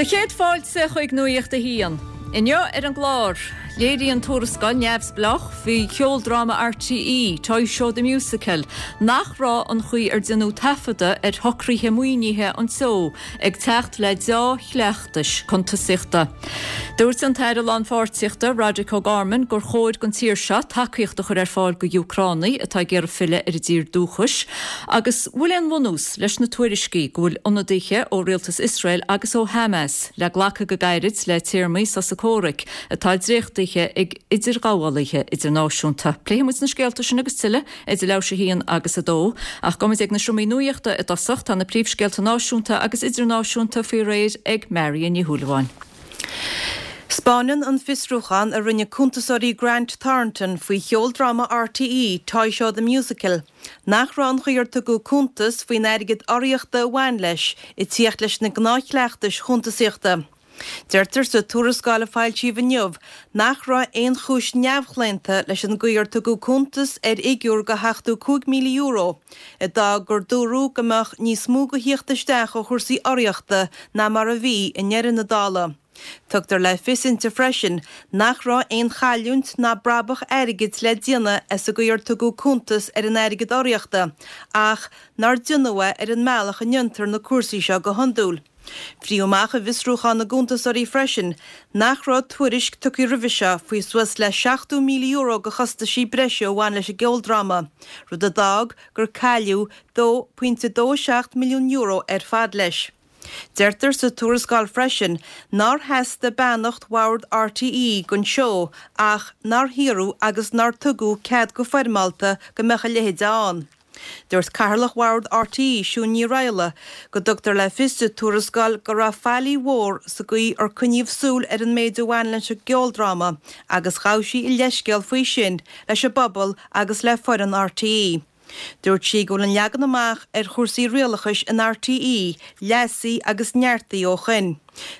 Do chéad fáilte chuig Nuacht a hAon. Inniu ar an gclár, léiríonn tuarascáil neamhspleách faoi cheoldráma RTÉ, Toy Show The Musical, nach raibh an chaoi ar déanadh taifeadadh ar shocruithe maoinithe an tseó ag teacht le deá-chleachtais cuntasaíochta. Dúirt an tAire Lánpháirtíochta, Roderic O'Gorman, gur chóir don tír seo tacaíocht a chur ar fáil go Úcránaigh atá ag iarraidh filleadh ar a dtír dúchais agus bhfuil aon bhunús leis na tuairiscí go bhfuil ionadaithe ó rialtas Iosrael agus ó Hamas le glacadh go gairid le téarmaí sosa comhraic atá dréachtaithe ag idirghabhálaithe idirnáisiúnta. Pléifidh muid na scéalta sin agus tuilleadh idir leathuair théis 1 agus 2. Ach gabhfaidh muid ag na seomraí nuachta i dtosach. Tá na príomhscéalta náisiúnta agus idirnáisiúnta faoi réir ag Marion Ní Shúilleabháin. 'Spáineann an fiosrúchán a rinne cuntasóirí Grant Thornton faoi cheoldráma RTÉ, Toy Show The Musical, nach raibh an chaoi ar tugadh cuntas faoin airgead urraíochta a bhain leis ag tíocht leis na gnáthchleachtais chuntasaíochta. Deirtear sa tuarascáil a foilsíodh inniu nach raibh aon chúis neamhchlaonta leis an gcaoi ar tugadh cuntas ar fhigiúr de €75,000, a d'fhág gur dúradh go mbeadh níos mó de thíocht isteach ó chúrsaí urraíochta ná mar a bhí i ndeireadh na dála. Tugtar le fios inti freisin nach raibh aon chailliúint ná brabach airgid le déanamh as an gcaoi ar tugadh cuntas ar an airgead urraíochta ach nár déanadh é ar an mbealach a ndéantar na cúrsaí seo go hiondúil. Frítheadh amach i bhfiosrúchán na gcuntasóirí freisin nach raibh tuairisc tugtha roimhe seo faoi suas le €70,000 de chostaisí breise a bhain leis an gceoldráma, rud a d'fhág gur cailleadh €2.27 milliún ar fad leis. Deirtear sa tuarascáil freisin nár theastaigh beannacht Bhord RTÉ don seó ach nár hiarradh agus nár tugadh cead go foirmeálta go mbeadh a leithéid ann. Dúirt Cathaoirleach Bhord RTÉ, Siún Ní Raghallaigh, go dtugtar le fios sa tuarascáil go raibh faillí mhór sa gcaoi ar coinníodh súil ar an méid a bhain leis an gceoldráma agus ghabh sí a leithscéal faoi sin leis an bpobal agus le foireann RTÉ. Dúirt sí go bhfuil an leagan amach ar chúrsaí rialachais in RTÉ leasaithe agus neartaithe ó shoin.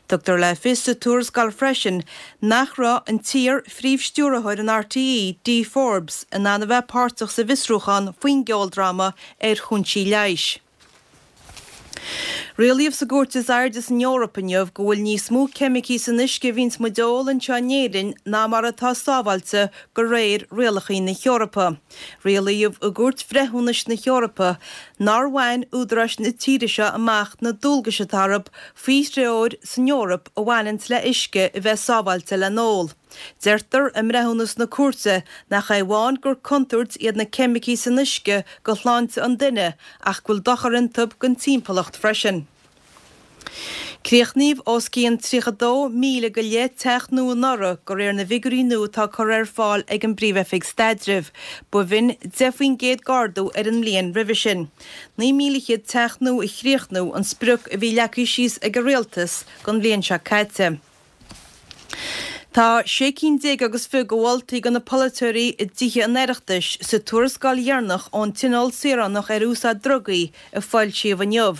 Tugtar le fios sa tuarascáil freisin nach raibh an t-iar-phríomh-stiúrthóir in RTÉ, Dee Forbes, in ann a bheith páirteach sa bhfiosrúchán faoin gceoldráma ar chúinsí leighis. Rialaíodh sa gcúirt is airde san Eoraip inniu go bhfuil níos mó ceimicí san uisce a bhíonns muid a ól anseo in Éirinn ná mar atá sábháilte de réir rialachaí na hEorpa. Rialaíodh i gCúirt Bhreithiúnais na hEorpa nár bhain údaráis na tíre seo amach na dualgais atá orthu faoi threoir san Eoraip a bhaineanns le uisce a bheith sábháilte le n-ól. Deirtear i mbreithiúnas na cúirte nach é amháin gur contúirt iad na ceimicí san uisce go shláinte an duine ach go bhfuil dochar iontu don timpeallacht freisin. Críochnaíodh os cionn 32,000 go leith teach nua anuraidh de réir na bhfigiúirí nua atá curtha ar fáil ag an bPríomh-Oifig Staidrimh. B'shin 10% d'ardú ar an mbliain roimhe sin. 9,100 teach nua a chríochnú an sprioc a bhí leagtha síos ag an Rialtas don bhliain seo caite. Tá sé cinn déag agus fiche de mholtaí do na polaiteoirí i dTithe an Oireachtais sa tuarascáil dheireanach ón Tionól Saoránach ar Úsáid Drugaí a foilsíodh inniu.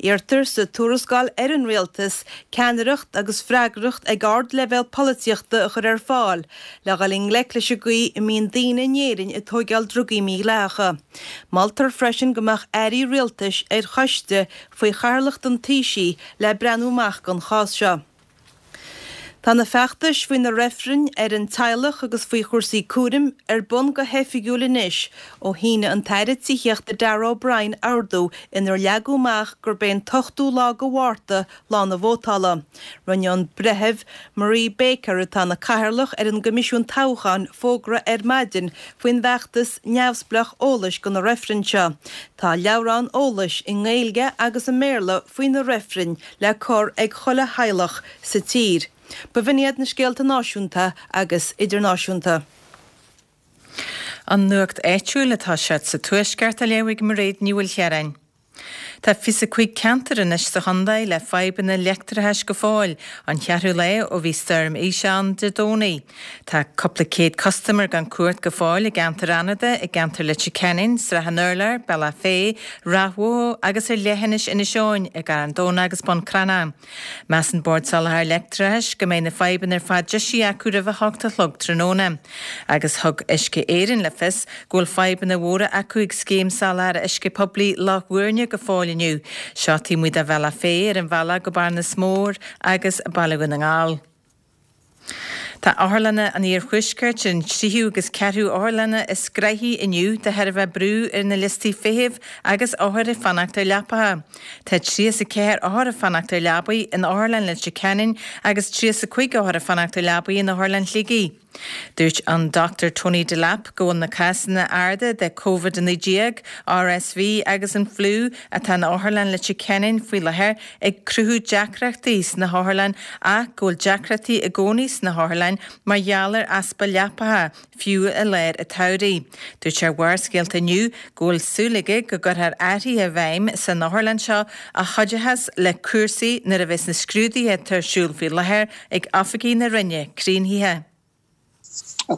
Iarrtar sa tuarascáil ar an Rialtas ceannaireacht agus freagracht ag ardleibhéal polaitíochta a chur ar fáil le dhul i ngleic leis an gcaoi a mbíonn daoine in Éirinn ag tóigeáil drugaí mídhleathacha. Moltar freisin go mbeadh airí rialtais ar choiste faoi chathaoirleacht an Taoisigh le breathnú amach don chás seo. Tá na feachtais faoi na reifrinn ar an teaghlach agus faoi chúrsaí cúraim ar bun go hoifigiúil anois ó shínigh an tAire Tithíochta Darragh O'Brien ordú inar leagadh amach gurb é an t-ochtú lá de Mhárta lá na vótála. Rinne an Breitheamh Marie Baker, atá ina cathaoirleach ar an gCoimisiún Toghcháin, fógra ar maidin faoin bhfeachtas neamhspleách eolais do na reifrinn seo. Tá leabhrán eolais i nGaeilge agus i mBéarla faoi na reifrinn le cur ag chuile theaghlach sa tír. B'in iad na scéalta náisiúnta agus idirnáisiúnta. An nuacht áitiúil atá sé sa Tuaisceart á léamh ag Mairéad Ní Mhaoilchiaráin. Tá 25 ceantar anois sa chontae le fadhbanna leictreachais go fóill, an cheathrú lá ó bhí Stoirm Isha ann Dé Domhnaigh. Tá cúpla céad custaiméir gan cumhacht go fóill i gceantar Fhánada, i gceantar Leitir Ceanainn, Srath an Urláir, Bealach Féich, Ráth Bhoth agus ar leithinis Inis Eoghain, i gCarn Domhnach agus Bun Cranncha. Measann Bord Soláthair Leictreachais go mbeidh na fadhbanna ar fad deisithe acu roimh a hocht a chlog tráthnóna. Agus thug Uisce Éireann le fios go bhfuil fadhbanna mhóra acu ag scéim soláthair uisce poiblí Loch Mhúirne go fóill. fóill inniu. Seo taobh amuigh de Bhealach Féich ar an bhealach go Bearnas Mór agus Baile Dhún na nGall. Tá otharlanna an iarthuaiscirt, an tríú agus ceathrú otharlanna, is gnaithí inniu de thairbhe brú ar na liostaí feithimh agus othair ag fanacht ar leapacha. Tá 34 othar ag fanacht ar leabaí in Otharlann Leitir Ceanainn agus 35 othar ag fanacht ar leabaí in Otharlann Shligigh. Dúirt an Dr Tony Delap go bhfuil na cásanna arda de Covid-19, RSV agus an fliú atá in Otharlann Leitir Ceanainn faoi láthair ag cruthú deacrachtaí sna hotharlann ach go bhfuil deacrachtaí i gcónaí sna hotharlann mar gheall ar easpa leapacha, fiú i lár an tsamhraidh. Dúirt sé ar Bharrscéalta inniu go bhfuil súil aige go gcuirfear athruithe i bhfeidhm san otharlann seo a chuideochas le cúrsaí nuair a bheas na scrúduithe atá ar siúl faoi láthair ag oifigigh na Roinne críochnaithe.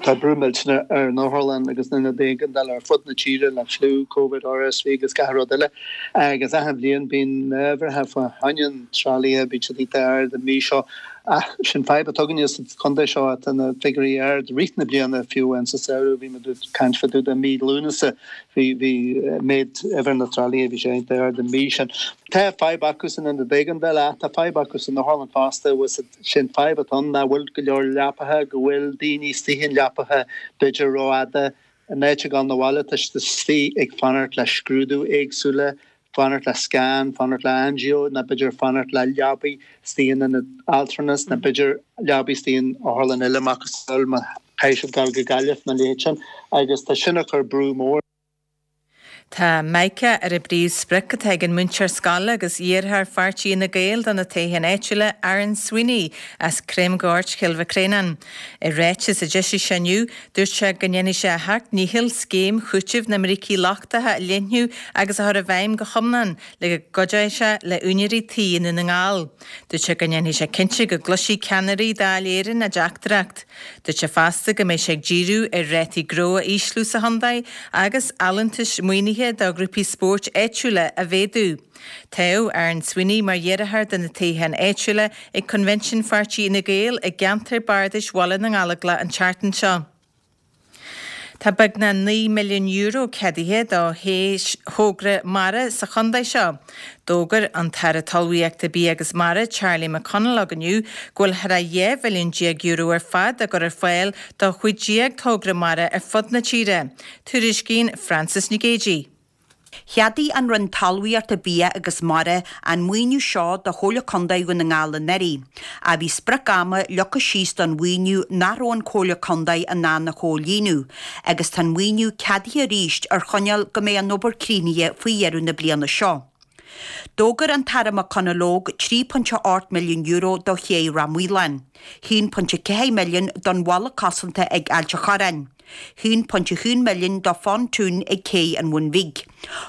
Tá brú millteanach ar an otharlann agus na hionaid éigeandála ar fud na tíre le fliú, Covid, RSV agus gach rud eile agus achan bhliain bíonn na huimhreacha fá choinne an tralaithe, bíonn siad iontach ard an mhí seo. Ach sin fadhb atá againne sa chontae seo, tá na figiúirí ard i rith na bliana, fiú amháin sa samhradh, bhí muid ag caint fá dtaobh de mí Lúnasa, bhí, bhí méid uimhir na tralaithe, bhí sé iontach ard an mhí sin. Tá fadhb acu san ionad éigeandála ach tá fadhb acu san otharlann fosta, sin fadhb atá ann, nach bhfuil go leor leapacha, go bhfuil daoine istigh in leapacha b'fhéidir rófhada, in áit a ghabháil 'na bhaile tá siad istigh ag fanacht le scrúdú éagsúla, fanacht le scan, fanacht le angio nó b'fhéidir fanacht le leabaí istigh in ionad altranais nó b'fhéidir leabaí istigh in otharlann eile macasamhail má chaithfidh siad dul go Gaillimh nó a leithéid sin agus tá sin ag cur brú mór. Tá Mica ar an bpríomhsprioc atá ag an múinteoir scoile agus iarrthóir pháirtí Fhine Gael do na toghcháin áitiúla, Aaron Sweeney as Creamghort, Chill Mhic Réanáin. I ráiteas a d'eisigh sé inniu, Dúirt sé go ndéanfaidh sé a sheacht ndícheall scéim chúitimh na mbrící lochtacha a leathnú agus a chur i bhfeidhm go hiomlán le go gcuideoidh sé le úinéirí tí i nDún na nGall. Dúirt sé go ndéanfaidh sé cinnte go gcloisfidh ceannairí Dáil Éireann a dteachtaireacht. Dúirt sé fosta go mbeidh sé ag díriú ar rátaí gnó a ísliú sa chontae agus allúntais maoinithe do ghrúpaí spóirt áitiúla a mhéadú. Toghadh Aaron Sweeney mar iarrthóir do na toghcháin áitiúla ag Coinbhinsiún Pháirtí Fhine Gael i gceantar bardais Bhaile na nGallóglach an tseachtain seo. Tá beagnach €9 milliún ceadaithe do shé thogra mara sa chontae seo. D'fhógair an tAire Talmhaíochta, Bia agus Mara, Charlie McConalogue inniu go bhfuil thar a €12 mhilliún ar fad á gcur ar fáil do 15 togra mara ar fud na tíre. Tuairiscíonn Frances Nic Géadaigh. Cheadaigh an Roinn Talmhaíochta, Bia agus Mara an maoiniú seo do Chomhairle Contae Dhún na nGall anuraidh, ach bhí sprioc ama leagtha síos don mhaoiniú nach raibh an Chomhairle Contae in ann a chomhlíonadh, agus tá an maoiniú ceadaithe arís ar choinníoll go mbeidh an obair críochnaithe faoi dheireadh na bliana seo. D'fhógair an tAire McConalogue €3.8 milliún do ché Ráth Maoláin, €1.4 milliún don bhalla cosanta ag Ailt a' Chorráin, €1.1 milliún do phontún ag Cé an Bhun Bhig,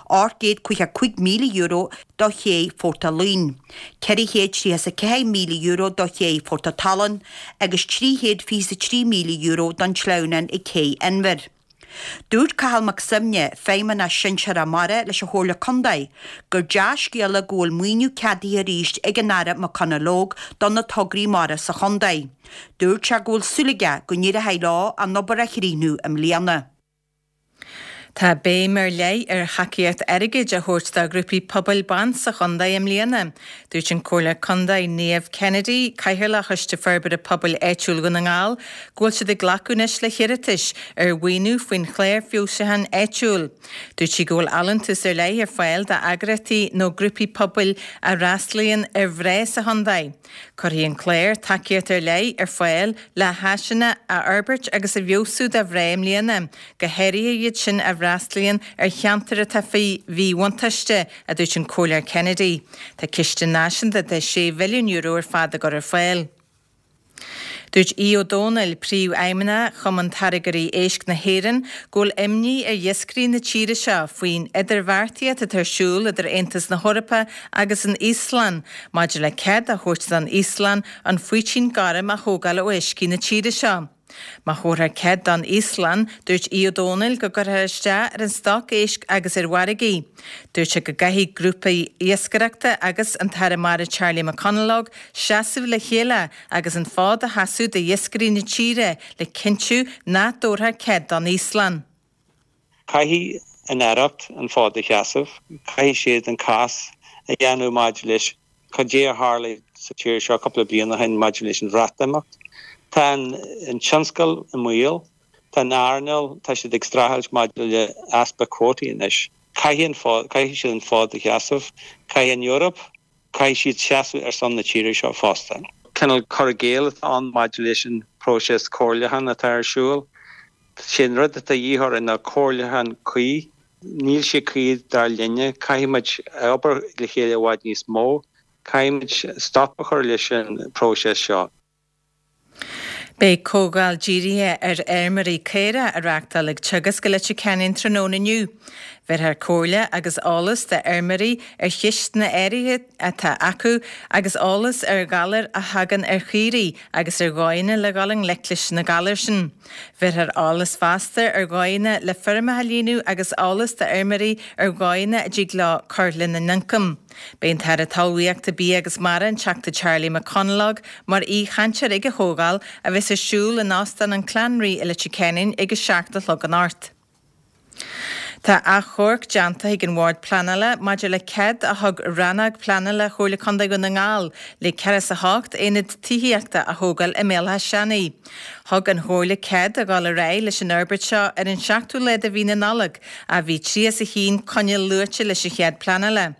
€855,000 do ché Phort a' Luain, €434,000 do ché Phort a' Tallann agus €323,000 don tsleamhnán ag Cé Inbhir. Dúirt Cathal Mac Suibhne, Feidhmeannach Sinsearach Mara leis an Chomhairle Contae, gur dea-scéala go bhfuil maoiniú ceadaithe arís ag an Aire McConalogue do na tograí mara sa chontae. Dúirt sé go bhfuil súil aige go n-éireoidh leo an obair a chríochnú i mbliana. Tá béim ar leith ar thacaíocht airgid a thabhairt do ghrúpaí pobail ban sa chontae i mbliana. Dúirt an Comhairleoir Contae Niamh Kennedy, Cathaoirleach Choiste Forbartha Pobail Áitiúil Dhún na nGall, go bhfuil siad ag glacadh anois le hiarratais ar mhaoiniú faoin Chlár Feabhsúcháin Áitiúil. Dúirt sí go bhfuil allúntas ar leith ar fáil d'eagraíochtaí nó grúpaí pobail a fhreastalaíonn ar mhná sa chontae. Cuirfidh an clár tacaíocht ar leith ar fáil le háiseanna a fhorbairt agus a fheabhsú do mhná i mbliana, go háirithe iad sin a fhreastalaíonn ar cheantair atá faoi mhíbhuntáiste, a dúirt an Comhairleoir Kennedy. Tá ciste náisiúnta de €6 mhilliún ar fad á gcur ar fáil. Dúirt Aodh Ó Domhnaill, Príomhfheidhmeannach Chumann Táirgeoirí Éisc na hÉireann, go bhfuil imní ar iascairí na tíre seo faoin idirbheartaíocht atá ar siúl idir Aontas na hEorpa agus an Íoslainn maidir le cead a thabhairt don Íoslainn an faoitín gorm a thógáil ó uiscí na tíre seo. Má thabharfar cead don Íoslainn, dúirt Aodh Ó Domhnaill go gcuirfear isteach ar an stoc éisc agus ar mhargaí. Dúirt sé go gcaithfidh grúpaí iascaireachta agus an tAire Mara Charlie McConalogue seasamh le chéile agus an fód a sheasamh d'iascairí na tíre le cinntiú nach dtabharfar cead don Íoslainn. Caithfidh an Aireacht an fód a sheasamh, caithfidh siad an cás. a dhéanamh maidir leis cad é a tharlaigh sa tír seo cúpla bliain ó shin maidir leis an Bhreatimeacht. Tá an tionscal i mbaol, tá an earnáil, tá siad ag streachailt maidir le easpa cuótaí anois. Caithfidh an fód, caithfidh siad an fód a sheasamh, caithfidh an Eoraip, caithfidh siad seasamh ar son na tíre seo fosta. Cineál cur i gcéill atá ann maidir leis an bpróiseas comhairliúcháin atá ar siúl. Sé an rud atá de dhíth orainn ná comhairliúchán cuí. Níl sé cuí dar linne. Caithfidh muid obair le chéile i bhfad níos mó. Caithfidh muid stop a chur leis an bpróiseas seo. Beidh comhdháil dírithe ar fheirmeoirí caorach á reáchtáil ag Teagasc i Leitir Ceanainn tráthnóna inniu. Bhéarfar comhairle agus eolas d'fheirmeoirí ar cheisteanna áirithe atá acu agus eolas ar ghalair a thagann ar chaoirigh agus ar dhóigheanna le dhul i ngleic leis na galair sin. Bhéarfar eolas fosta ar dhóigheanna le feirmeacha a líonadh agus eolas d'fheirmeoirí ar dhóigheanna a dtig leo cur lena n-ioncam. Beidh an tAire Talmhaíochta, Bia agus Mara, an Teachta Charlie McConalogue, mar aoi-chainteoir ag an chomhdháil, a bheas ar siúl in Óstán an Clanree i Leitir Ceanainn ag 7 a chlog anocht. Tá achomharc déanta ag an Bhord Pleanála maidir le cead a thug Rannóg Pleanála Chomhairle Contae Dhún na nGall le 48 aonad tithíochta a thógáil i mBéal Átha Seanaidh. Thug an Chomhairle cead a dhul ar aghaidh leis an fhorbairt seo ar an seachtú lá de mhí na Nollag ach bhí 31 coinníoll luaite leis an chead pleanála.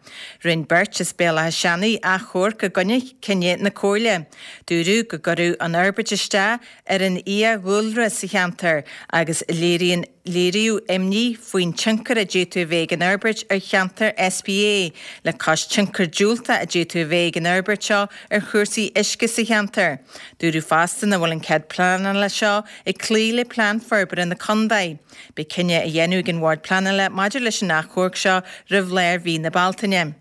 Rinne beirt as Béal Átha Seanaidh achomharc i gcoinne cinneadh na Comhairle. Dúradh go gcuirfeadh an fhorbairt isteach ar an fhiadhúlra sa cheantar agus léiríonn léiríodh imní faoin tionchar a d'fhéadfadh a bheith ag an fhorbairt ar cheantar SPA, le cois tionchar diúltach a d'fhéadfadh a bheith ag an fhorbairt seo ar chúrsaí uisce sa cheantar. Dúradh fosta nach bhfuil an cead pleanála seo ag cloí le Plean Forbartha na Contae. Beidh cinneadh á dhéanamh ag an Bhord Pleanála maidir leis an achomharc seo roimh lár mhí na Bealtaine.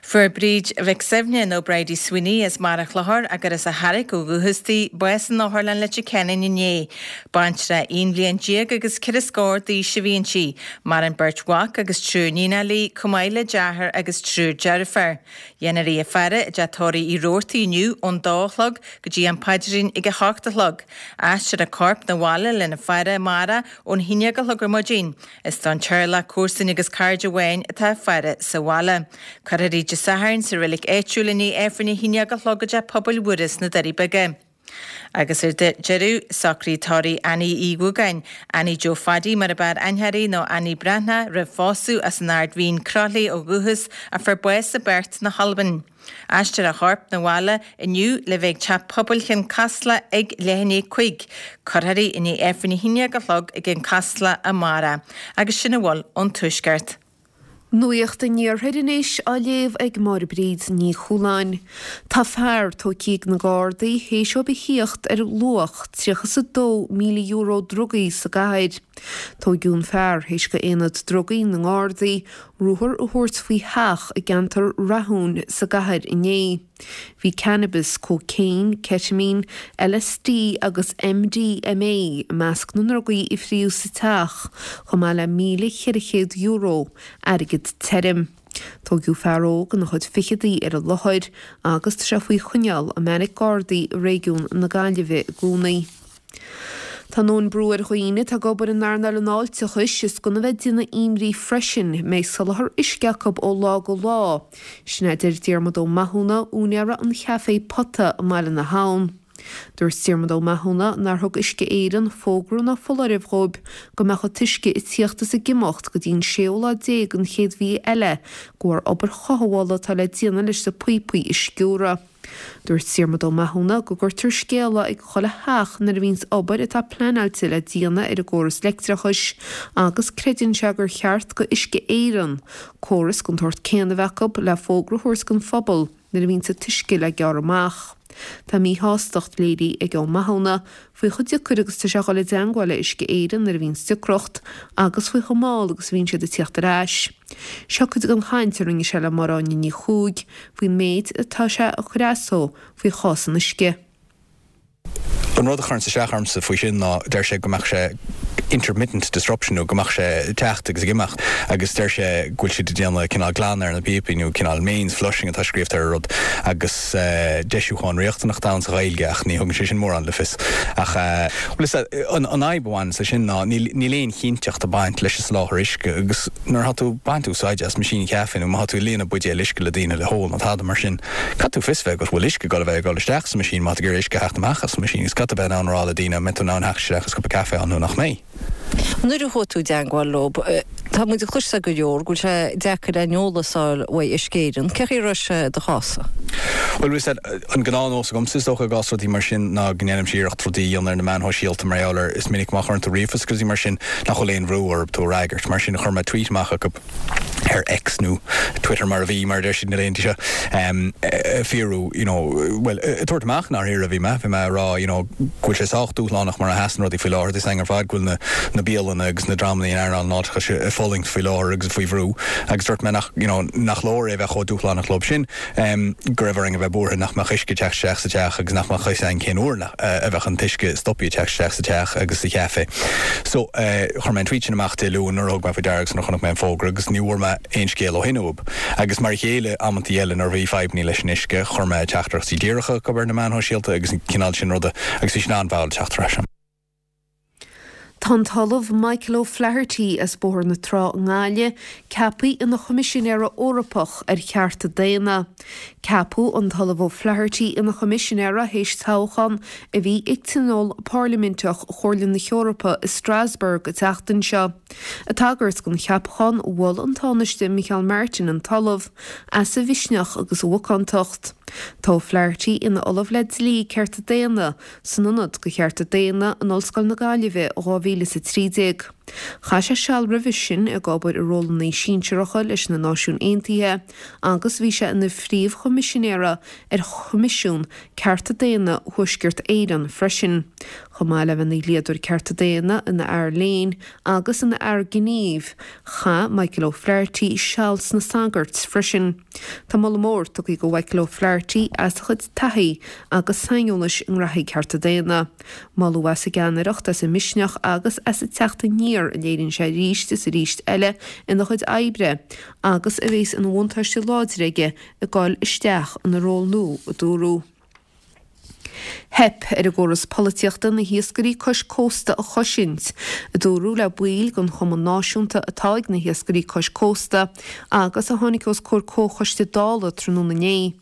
Fuair Bríd Mhic Suibhne, nó Bridie Sweeney, as Barr an Chlochair, gur as an Charraic ó dhúchas di, bás in Otharlann Leitir Ceanainn inné. Baintreach aon bhliain déag agus ceithre scór d'aois a bhí inti. Maireann beirt mhac agus triúr níonacha léi, chomh maith le deartháir agus triúr deirféar. Dhéanfar í a faire i dteach tórraimh Uí Robhartaigh inniu ón dó a chlog go dtí an paidrín ag a hocht a chlog. Aistreofar a corp 'na bhaile lena faire amárach ón haon déag a chlog ar maidin. Is don teaghlach, comharsain agus cairde amháin atá a faire sa bhaile. Cuirfear í Dé Sathairn sa reilig áitiúil i ndiaidh Aifreann a haon déag a chlog i dTeach Pobail Mhuire sna Doirí Beaga. Agus ar deireadh, socruithe tórraimh Annie Uí Dhúgáin, Annie Joe Phaddy mar ab fhearr aithne uirthi nó Annie Breathnach roimh phósadh as an Ard Mhín, Croithlí ó dhúchas, a fuair bás i bPerth na hAlban. Aistreofar a chorp 'na bhaile inniu le bheith ag Teach Pobail Chionn Caslach ag leath i ndiaidh 5. Cuirfear í i ndiaidh Aifreann 11 a chlog ag an Casla amárach. Agus sin a bhfuil ón Tuaisceart. Nuacht an Iarthair anois á léamh ag Máire Bríd Ní Chualáin. Tá fear tógtha ag na Gardaí théis dóibh a thíocht ar luach €32,000 drugaí sa gcathair. Tóigeadh an fear théis do Aonad Drugaí na nGardaí ruathar a thabhairt faoi theach i gceantar Rathúin sa gcathair inné. Bhí cannabis, cócaon, ceitimín, LSD agus MDMA i measc na ndrugaí a fríodh sa teach, chomh maith le €1,400 airgead tirim. Tóigeadh fear óg ina chuid ficheadaí ar an láthair agus tá sé faoi choinneáil i mbeairic Gardaí i réigiún na Gaillimhe i gcónaí. Tá a ndóthain brú ar dhaoine atá ag obair in earnáil an fháilteachais is gan a bheith ag déanamh imní freisin an mbeidh soláthar uisce acu ó lá go lá. Sin a deir Diarmuid Ó Mathúna, úinéara an chaifé Pota i mBaile na hAbhann. Dúirt Diarmuid Ó Mathúna nár thug Uisce Éireann fógra ná foláireamh dhóibh go mbeadh an t-uisce ag tíocht is ag imeacht go dtí an séú lá déag den chéad mhí eile de bharr obair chothabhála atá le déanamh leis na píopaí a sciúradh. Dúirt Diarmuid Ó Mathúna go gcuirtear scéala ag chuile theach nuair a bhíonns obair atá pleanáilte le déanamh ar an gcóras leictreachais agus creideann sé gur cheart go Uisce Éireann córas den tsórt céanna a bheith acu le fógra a thabhairt don phobal nuair a bhíonns an t-uisce le gearradh amach. Tá míshástacht léirithe ag Ó Mathúna faoi chomh deacair agus atá sé a dhul i dteangmháil le Uisce Éireann nuair a bhíonns deacracht agus faoi chomh mall agus a bhíonn siad ag tíocht ar ais. Seo cuid den chaint a rinne sé le Máire Áine Ní Chuaig faoin méid atá sé ag cur as dó faoi chás an uisce. An rud a chuireanns isteach ormsa faoi sin ná deir sé go mbeadh sé intermittent disruption nó go mbeadh sé ag teacht agus ag imeacht agus deir sé go bhfuil siad ag déanamh cineál glanadh ar na píopaí nó cineál mains flushing atá scríobhta ar an rud agus deisiúchán riachtanach atá ann sa Ghaeilge ach ní thugann sé sin mórán le fios. Ach bhuel is an fhadhb a bhaineanns leis sin ná níl aon chinnteacht ag baint leis an soláthar uisce agus nuair atá tú ag baint úsáide as meaisín caife nó má tá tú ag líonadh buidéal uisce le daoine le hól nó tada mar sin, Caithfidh tú fios bheith agat bhfuil uisce ag dul a bheith ag dul isteach sa machine má tá tú ag iarraidh uisce a theacht amach as an machine agus caithfidh tú bheith in ann a rá le daoine an mbeidh tú in ann theacht isteach agus cupa caife a fháil nó nach mbeidh. Nuair a chuaigh tú i dteangmháil leo, tá muid ag cloisteáil go leor go bhfuil sé deacair aon eolas a fháil uaidh Uisce Éireann. Cén chaoi a raibh sé i do chás-sa? Bhuel, bhí an gnáthnós agamsa is dócha i gcás rudaí mar sin ná go ndéanaimse iarracht rudaí a dhéanamh ar na meáin shóisialta mar gheall ar is minic má chuireann tú ríomhphost agus rudaí mar sin nach bhfuil aon bhrú orthu tú a fhreagairt. Mar sin chuir mé tweet amach chucu. ar X nó Twitter mar a bhí, mar a deir siad na laethanta seo, ag fiafraí, you know, bhuel, ag tabhairt amach i ndáiríre a bhí mé, bhí mé ag rá, you know, go bhfuil sé sách dúshlánach mar a sheasann rudaí faoi láthair, tá a fhios againn ar fad go bhfuil na, na bialanna agus na dreamanna in earnáil an fháilteachais ag fulaingt faoi láthair agus faoi bhrú agus dúirt mé nach, you know, nach leor é a bheith chomh dúshlánach leo sin, go raibh orainn a bheith buartha nach mbeadh uisce ag teacht isteach sa teach agus nach mbeadh a fhios againn cén uair a bheadh an t-uisce stoptha ag teacht isteach sa teach agus sa chaife. So, chuir mé an tweet sin amach Dé Luain nuair a thug mé faoi deara agus nuair a chonaic mé an fógra agus ní bhfuair mé aon scéal ó shin uathub. Agus mar a chéile, amantaí eile nuair a bhí fadhbannaí leis an uisce, chuir mé teachtaireachtaí díreacha chucu ar na meáin shóisialta agus an cineál sin ruda agus bhí siad an-mhall ag teacht ar ais. Tá an tOllamh Michael O'Flaherty as Bóthar na Trá i nGaillimh ceaptha ina Choimisinéara Eorpach ar Chearta Daonna. Ceapadh an tOllamh O'Flaherty ina Choimisinéara théis toghchán a bhí ag Tionól Pairliminteach Chomhairle na hEorpa i Strasbourg an tseachtain seo. Ag tagairt don cheapachán, mhol an Tánaiste Micheál Martin an tOllamh as a mhisneach agus a mhacántacht. Tá O'Flaherty ina Ollamh le Dlí Cearta Daonna san Ionad do Chearta Daonna in Ollscoil na Gaillimhe ó 2013. Chaith sé seal roimhe sin ag obair i rólanna sinsearacha leis na Náisiúin Aontaithe agus bhí sé ina Phríomh-Choimisinéara ar Choimisiún Cearta Daonna Thuaisceart Éireann freisin. Chomh maith le bheith ina dhlíodóir cearta daonna, ina fhear léinn agus ina fhear gnímh, chaith Michael O'Flaherty seal sna sagairt freisin. Tá moladh mór tugtha do Mhichael O'Flaherty as a chuid taithí agus saineolais i ngraithí cearta daonna. Moladh as a gceannaireacht, as a mhisneach agus as an teacht aniar a léiríonn sé arís is arís eile ina chuid oibre agus a bheas ina bhuntáiste láidir aige ag dul isteach ina ról nua, a dúradh. Theip ar an gcóras polaitíochta na hiascairí cois cósta a chosaint, a dúradh le baill den chumann náisiúnta atá ag na hiascairí cois cósta agus a tháinig os comhair comhchoiste Dála tráthnóna inné.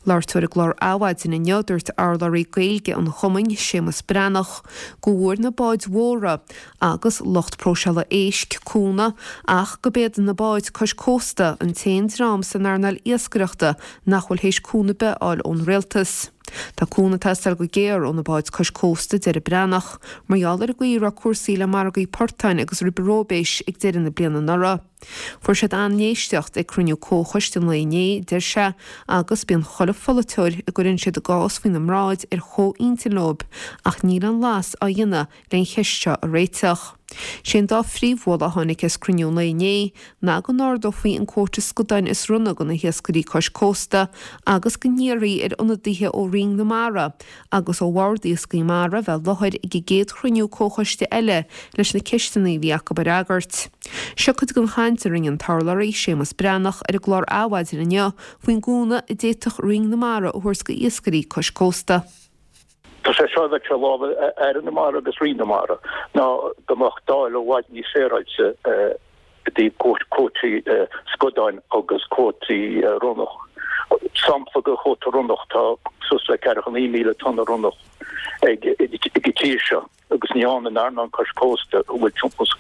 Labhairt ar an gclár Adhmhaidin inniu, dúirt urlabhraí Gaeilge an chumainn, Séamus Breathnach, go bhfuair na báid mhóra agus lucht próiseála éisc cúnamh ach gurb iad na báid cois cósta an t-aon dream san earnáil iascaireachta nach bhfuil théis cúnamh ar bith a fháil ón rialtas. Tá cúnamh ag teastáil go géar ó na báid cois cósta, a deir Breathnach, mar gheall ar an gcaoi a raibh cúrsaí le margaí portáin agus ribe róibéis ag deireadh na bliana anuraidh. Fuair siad an-éisteacht ag cruinniú comhchoiste an lae inné, deir sé, agus bíonn chuile pholaiteoir a gcuireann siad a gcás faoina mbráid ar chomh-intinn leo ach níl aon mhaitheas á dhéanamh le an cheist seo a réiteach. Sé an dá phríomh-mholadh a tháinig as cruinniú an lae inné ná go n-ardófaí an cuóta scadáin is ronna do na hiascairí cois cósta agus go n-iarrfaí ar ionadaithe ó Roinn na Mara agus ó Bhord Iascaigh Mhara bheith i láthair ag an gcéad chruinniú comhchoiste eile leis na ceisteanna a bhí acu a fhreagairt. Seo cuid den chaint a rinne an t-urlabhraí, Séamus Breathnach, ar an gclár Adhmhaidin inniu faoin gcúnamh a d'fhéadfadh Roinn na Mara a thabhairt do iascairí cois cósta. Tá sé seo bheadh sé i lámha Aire na Mara agus Roinn na Mara ná go mbeadh dáileadh i bhfad níos féaráilte i dtaobh cuótaí scadáin agus cuótaí ronnach. Sampla de chuóta ronnach, tá suas le 49,000 tonna ronnach ag an tír seo agus ní fhaigheann an earnáil cois cósta, a bhfuil timpeall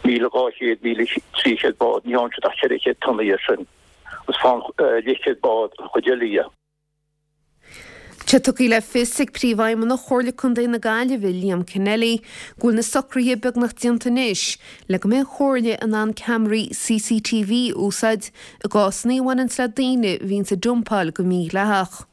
1,200, 1,300 bád, ní fhaigheann siad ach 400 tonna dhe sin agus faigheann leathchéad bád an chuid eile dhe. Tá tugtha le fios ag Príomhfheidhmeannach Chomhairle Contae na Gaillimhe, Liam Kennelly, go bhfuil na socruithe beagnach déanta anois le go mbeidh an Chomhairle in ann ceamaraí CCTV a úsáid i gcásanna a bhaineanns le daoine a bhíonns ag dumpáil go mídhleathach.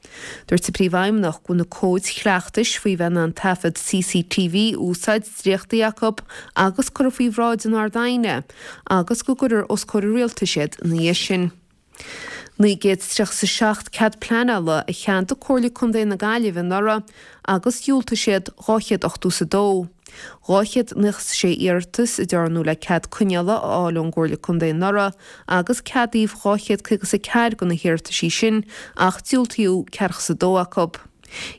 Dúirt an Príomhfheidhmeannach go bhfuil na cóid chleachtais faoi bheith in ann taifead CCTV a úsáid dréachtaithe acu agus curtha faoi bhráid an Ard-Aighne agus go gcuirfear os comhair an Rialtais iad ina dhiaidh sin. 937 cead pleanála a cheadaigh Comhairle Contae na Gaillimhe anuraidh agus dhiúltaigh siad 282. 296 iarratas a dearnadh le cead coinneála a fháil ón gComhairle Contae anuraidh agus ceadaíodh 254 de na hiarrataisí sin ach diúltaíodh 42 acu.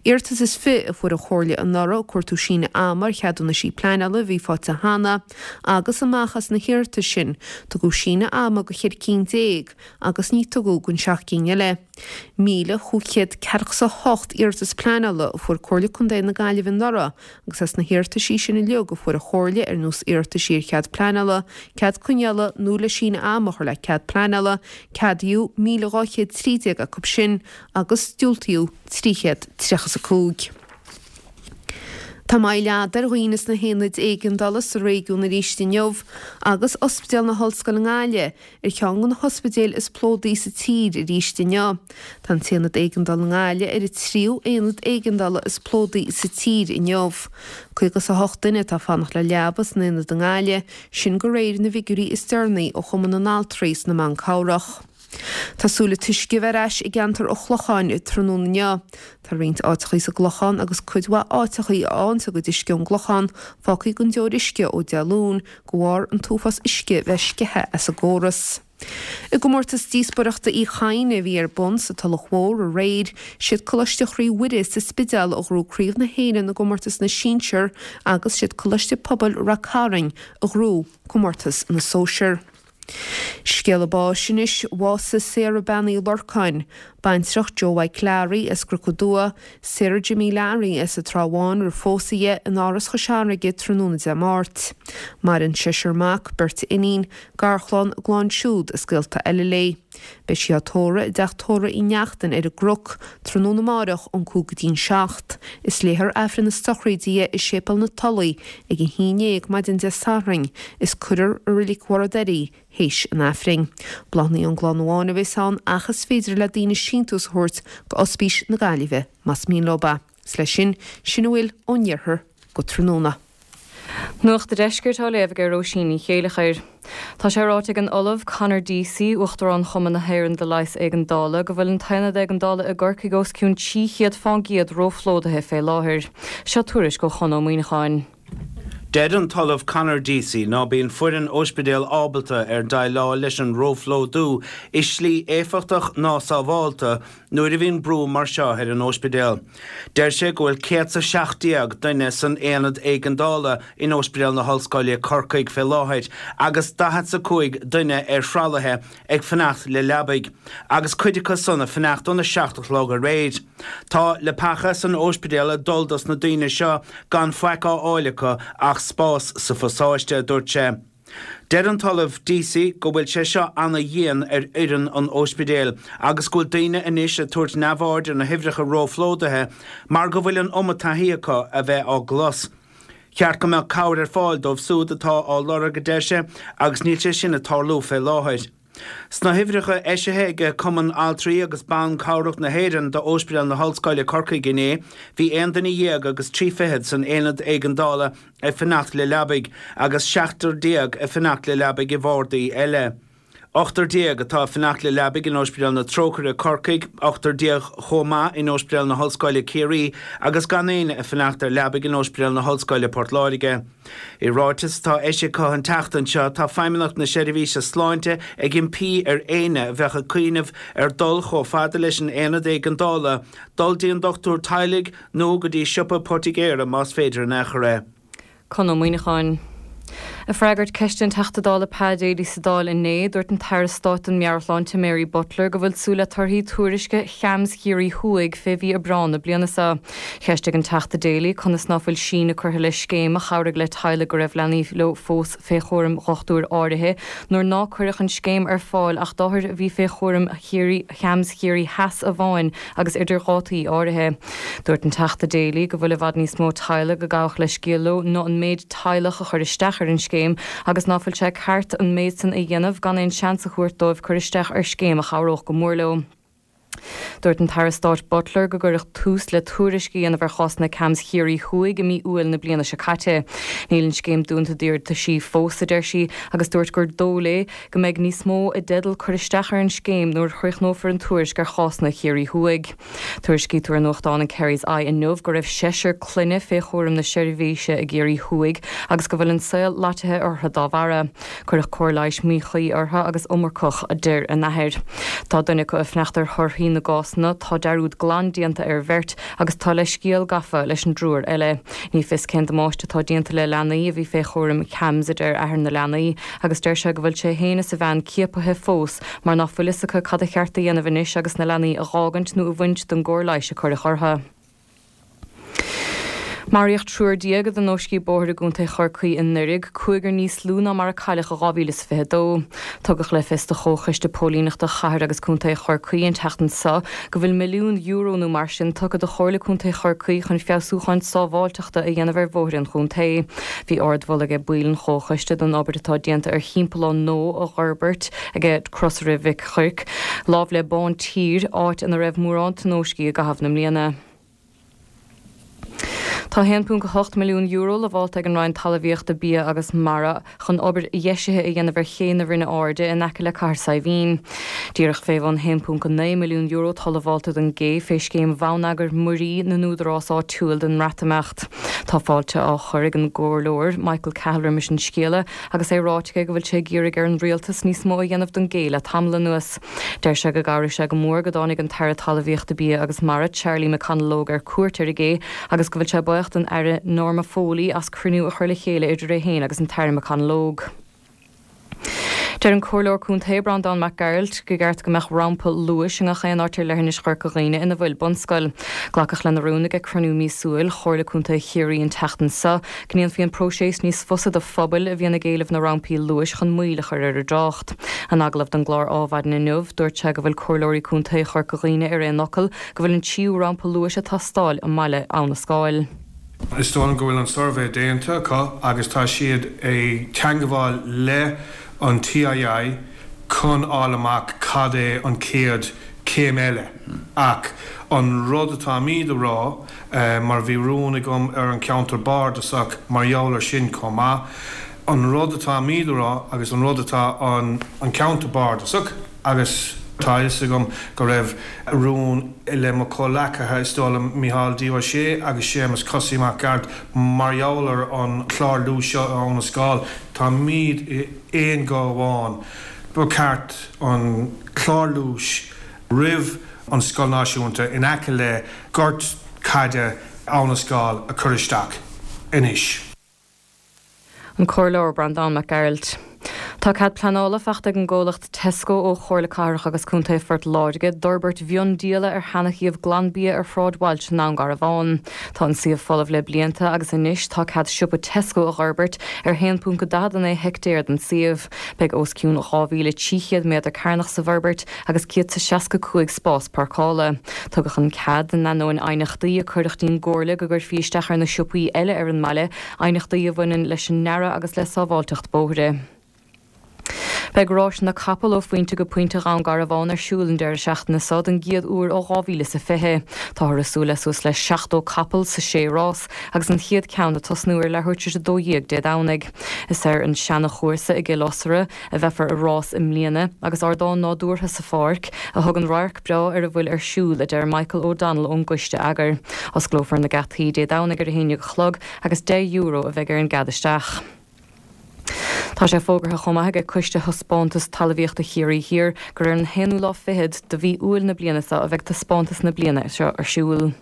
Iarratas is fi a fuair an Chomhairle anuraidh ag cuartú síneadh ama ar cheadúnaisí pleanála a bhí faighte cheana agus amach as na hiarratais sin, tugadh síneadh ama go cheithre cinn déag agus ní tugadh don seacht gcinn eile. 1,548 iarratas pleanála a fuair Comhairle Contae na Gaillimhe anuraidh agus as na hiarrataisí sin uilig a fuair an Chomhairle ar nós iarrataisí ar chead pleanála, cead coinneála nó le síneadh ama a chur le cead pleanála, ceadaíodh 1,213 acu sin agus diúltaíodh 335. Tá moill fhada ar dhaoine sna haonaid éigeandála sa réigiún arís inniu agus Ospidéal na hOllscoile i nGaillimh ar cheann de na hospidéil is plódaí sa tír arís inniu. Tá an t-aonad éigeandála i nGaillimh ar an tríú aonad éigeandála is plódaí sa tír inniu. 58 duine atá ag fanacht le leaba san aonad i nGaillimh, sin de réir na bhfigiúirí is deireanaí ó Chumann na nAltraí is na mBan Cabhrach. Tá súil an t-uisce a bheith ar ais i gceantar an Chlocháin tráthnóna inniu. Tá roinnt áiteachaí sa gClochán agus cuid mhaith áiteachaí a fhaigheanns a gcuid uisce ón gClochán fágthaí gan deoir uisce ó Dé Luain de bharr an t-uafás uisce bheith sceithe as an gcóras. I gcomórtas díospóireachta Uí Chadhain a bhí ar bun sa Tulach Mhór aréir, siad Coláiste Chroí Mhuire sa Spidéal a ghnóthaigh Craobh na hÉireann i gcomórtas na sinsear agus siad Coláiste Pobail Rath Cairn a ghnóthaigh comórtas na sóisear. Scéala báis anois, bhásaigh Sarah Bean Uí Lorcáin, baintreach Joe Mhaidhc Learaí as gCnoc Dua, Sarah Jimmy Learaí as an Trá Bháin roimh phósadh di in Áras Chois Fharraige tráthnóna Dé Máirt. Maireann seisear mac, beirt iníon, garchlann, a gclann siúd is gaolta eile léi. Beidh sí á tórramh i dteach tórraimh Uí Neachtain ar an gCnoc tráthnóna amáireach ón 5 go dtí'n 7. Is léifear Aifreann na sochraide di i Séipéal na Tulaí ag a haon dhéag maidin Dé Sathairn is cuirfear i Reilig Bharr an Doire í théis an Aifrinn. Bláthanna ón gclann amháin a bheas ann ach is féidir le daoine síntiús a thabhairt go Ospís na Gaillimhe más mian leo é. Is leis sin, sin a bhfuil ón iarthar go tráthnóna. Nuacht a' Deiscirt á léamh ag Róisín Ní Chéileachair. Tá sé ráite ag an Ollamh Conor Deasy, Uachtarán Chumann na hÉireann do Leigheas Éigeandála, go bhfuil an t-aonad éigeandála i gCorcaigh os cionn 300 fán gcéad róphlódaithe fé láthair. Seo tuairisc ó Chon Ó Muíneacháin. Deir an tOllamh Conor Deasy ná bíonn foireann óispidéal ábalta ar déileáil leis an róphlódú i slí éifeachtach ná sábhálta nuair a bhíonn brú mar seo ar an óispidéal. Deir sé go bhfuil 117 duine san aonad éigeandála in Óispidéal na hOllscoile, Corcaigh fé láthair agus 45 duine ar thralaithe ag fanacht le leabaidh, agus cuid acu san ag fanacht óna seacht a chlog aréir. Tá leapacha san óispidéal ag dul dos na daoine seo gan faic á fháil acu ach spás sa phasáiste, a dúirt sé. Deir an tOllamh Deasy go bhfuil sé seo ana-dhian ar fhoireann an óispidéil agus go bhfuil daoine anois ag tabhairt neamhaird ar na huimhreacha róphlódaithe mar go bhfuil an iomad taithí acu a bheith á gclos. Cheart go mbeadh cabhair ar fáil dóibh súd atá á lorg, a deir sé, agus níl sé sin ag tarlú fé láthair. Sna huimhreacha eisithe ag Cumann Altraí agus Ban Cabhrach na hÉireann d'Óispidéal na hOllscoile, Corcaigh inné, bhí aon duine dhéag agus tri fichead san aonad éigeandála ag fanacht le leabaidh agus seachtar déag ag fanacht le leabaidh i bhardaí eile. Ochtar déag atá ag fanacht le leabaidh in Óispidéal na Trócaire, Corcaigh, ochtar déag chomh maith in Óispidéal na hOllscoile, Ciarraí agus gan éinne ag fanacht ar leabaidh in Óispidéal na hOllscoile, Port Láirge. I ráiteas atá eisithe acu an tseachtain seo, tá Feidhmeannacht na Seirbhíse Sláinte ag impí ar éinne a bheadh ag cuimhneamh ar dul chomh fada leis an aonad éigeandála, dul dtí an dochtúir teaghlaigh nó go dtí siopa poitigéara más féidir in aon chor é. Conn Ó Muíneacháin. Ag freagairt ceiste an Teachta Dála Pa Daly sa Dáil inné, dúirt an tAire Stáit don Meabhairshláinte Mary Butler go bhfuil súil le torthaí tuairisce CHAMS Chiarraí Thuaidh fé mhí Aibreán na bliana seo. Cheistigh an Teachta Daly conas ná fuil síneadh curtha le scéim a chabhraigh le teaghlaigh go raibh leanaí leo fós fé chúram dhochtúir áirithe nuair ná cuireadh an scéim ar fáil ach d'othair a bhí fé chúram CHAMS Chiarraí Theas amháin agus idir dhátaí áirithe. Dúirt an Teachta Daly go bhfuil i bhfad níos mó teaghlaigh a gabhadh leithscéal leo ná an méid teaghlach a chuir isteach ar an scéim agus ná fuil sé ceart an méid san a dhéanamh gan aon seans a thabhairt dóibh cur isteach ar scéim a chabhródh go mór leo. Dúirt an tAire Stáit Butler go gcuireadh tús le tuairisc a dhéanamh ar chásanna CAMHS Chiarraí Thuaidh i mí Iúil na bliana seo caite. Níl an scéim dúnta d'iarrataisí fós, a deir sí, agus dúirt gur dóigh léi go mbeidh níos mó i dteideal cur isteach ar an scéim nuair a chríochnófar an tuairisc ar chásanna Chiarraí Thuaidh. Tuairiscítear i nuachtán an Kerry's Eye inniu go raibh seisear clainne fé chúram na seirbhíse i gCiarraí Thuaidh agus go bhfuil an saol loitithe orthu dá bharra. Cuireadh cóir leighis míchuí orthu agus iomarcach, a deir a n-athair. Tá duine acu ag fanacht ar thorthaí na gcásanna, tá dearúd glan déanta ar bheirt agus tá leithscéal gafa leis an dtriúr eile. Ní fios cén damáiste atá déanta le leanaí a bhí fé chúram CAMHS, a deir athair na leanaí, agus deir sé go bhfuil sé féin is a bhean ciapaithe fós mar ná fuil fhios acu cad a cheart a dhéanamh anois agus na leanaí a dh'fhágaint nó a bhaint den gcóir leighis a cuireadh orthu. Maraíodh triúr déag i dtionóiscí bóthair i gContae Chorcaí anuraidh, cúigear níos lú ná mar a cailleadh i 2022. Tugadh le fios do Chomhchoiste Póilíneachta Chathair agus Contae Chorcaí an tseachtain seo go bhfuil €1,000,000 nó mar sin tugtha do Chomhairle Contae Chorcaí chun feabhsúcháin sábháilteachta a dhéanamh ar bhóithre an chontae. Bhí ardmholadh ag baill an chomhchoiste don obair atá déanta ar thimpeallán nua a dh'fhorbairt ag Crosaire Mhic Chuirc, lámh le Bántír, áit ina raibh mórán tionóiscí i gcaitheamh na mbliana. Tá €1.8 milliún lamhálta ag an Roinn Talmhaíochta, Bia agus Mara chun obair dheisithe a dhéanamh ar ché na Rinne Airde in aice le Cathair Saidhbhín. Díreach fé bhun €1.9 milliún atá lamhálta don gcé fé scéim bhonneagair muirí na n-údarás áitiúil don mBreatimeacht. Tá fáilte á chur ag an gComhairleoir Michael Cahill roimis an scéala agus é ráite aige go bhfuil sé ag iarraidh ar an Rialtas níos mó a dhéanamh don gcé le tamall anuas. Deir sé go gcabhraigh sé go mór go dtáinig an tAire Talmhaíochta, Bia agus Mara, Charlie McConalogue ar cuairt ar an gcé agus go bhfuil sé buíoch den Aire Norma Foley as cruinniú a chur le chéile idir é féin agus an tAire McConalogue. Deir an Comhairleoir Contae Breandán Mac Gearailt go gceart go mbeadh rampa luais i ngach aon áit ar leithinis Chorca Dhuibhne ina bhfuil bunscoil. Glacadh lena rún ag cruinniú míosúil Chomhairle Contae Chiarraí an tseachtain seo go ndéanfaí an próiseas níos fusa do phobail a bhíonn ag éileamh na rampaí luais chun moill a chur ar an dtrácht. In agallamh don gclár Ádhmhaidin inniu, dúirt sé go bhfuil Comhairleoirí Contae Chorca Dhuibhne ar aon fhocal go bhfuil an tríú rampa luais ag teastáil i mbaile Abha na Scáil. Is dóigh liom go bhfuil an suirbhé déanta acu agus tá siad ag teangabháil le an TII chun fháil amach cad é an chéad chéim eile ach an rud atáimíd a rá mar bhí rún agam ar an cheantar bardasach mar gheall ar sin chomh maith. An rud atáimíd a rá agus an rud atá an ceantar bardasach agus tá a fhios agam go raibh rún le mo chomhleacaithe, is dóigh liom Micheál D. Ó Sé agus Séamus Cosaí Mac Gearailt mar gheall ar an chlár luais seo i Abhainn na Scáil, táimíd i aon ghuth amháin, ba cheart an clár luais roimh an Scoil Náisiúnta in aice le gort caide Abhainn na Scáil a chur isteach anois. An Comhairleoir Breandán Mac Gearailt. Tá cead pleanála faighte ag an gcomhlacht Tesco ó Chomhairle Cathrach agus Contae Phort Láirge d'fhorbairt mhiondíola ar sheana-shuíomh Glanbia ar Shráid Walsh i nDún Garbhán. Tá an suíomh folamh le blianta agus anois tá cead siopa Tesco a dh'fhorbairt ar 1.49 heictéar den suíomh. Beidh os cionn 2,300 méadar cearnach sa bhforbairt agus 165 spás páirceála. Tugadh an cead in ainneoin aighneachtaí a cuireadh dtí'n gComhairle go gcuirfí isteach ar na siopaí eile ar an mbaile, aighneachtaí a bhaineann leis an ndearadh agus le sábháilteacht bóithre. Beidh ráis na capall ó phointe go pointe Dhún Garbhán ar siúl an deireadh seachtaine seo don gcéad uair ó 2020. Táthar ag súil le suas le 70 capall sa sé rás agus an chéad ceann ag tosnú ar leathuair tar éis 12 Dé Domhnaigh. Is ar an seana-chúrsa i gCill Osraí a bheifear ag rás i mbliana, agus ardán nádúrtha sa pháirc, a thugann radharc breá ar a bhfuil ar siúl, a deir Michael O'Donnell ón gcoiste eagair. Osclófar na geataí Dé Domhnaigh ar a 11 a chlog agus €10 a bheidh ar an gcead isteach. Tá sé fógartha chomh maith ag Coiste Thaispeántas Talmhaíochta Chiarraí Thiar gur ar an haonú lá fichead de mhí Iúil na bliana seo a bheidh taispeántas na bliana seo ar siúl.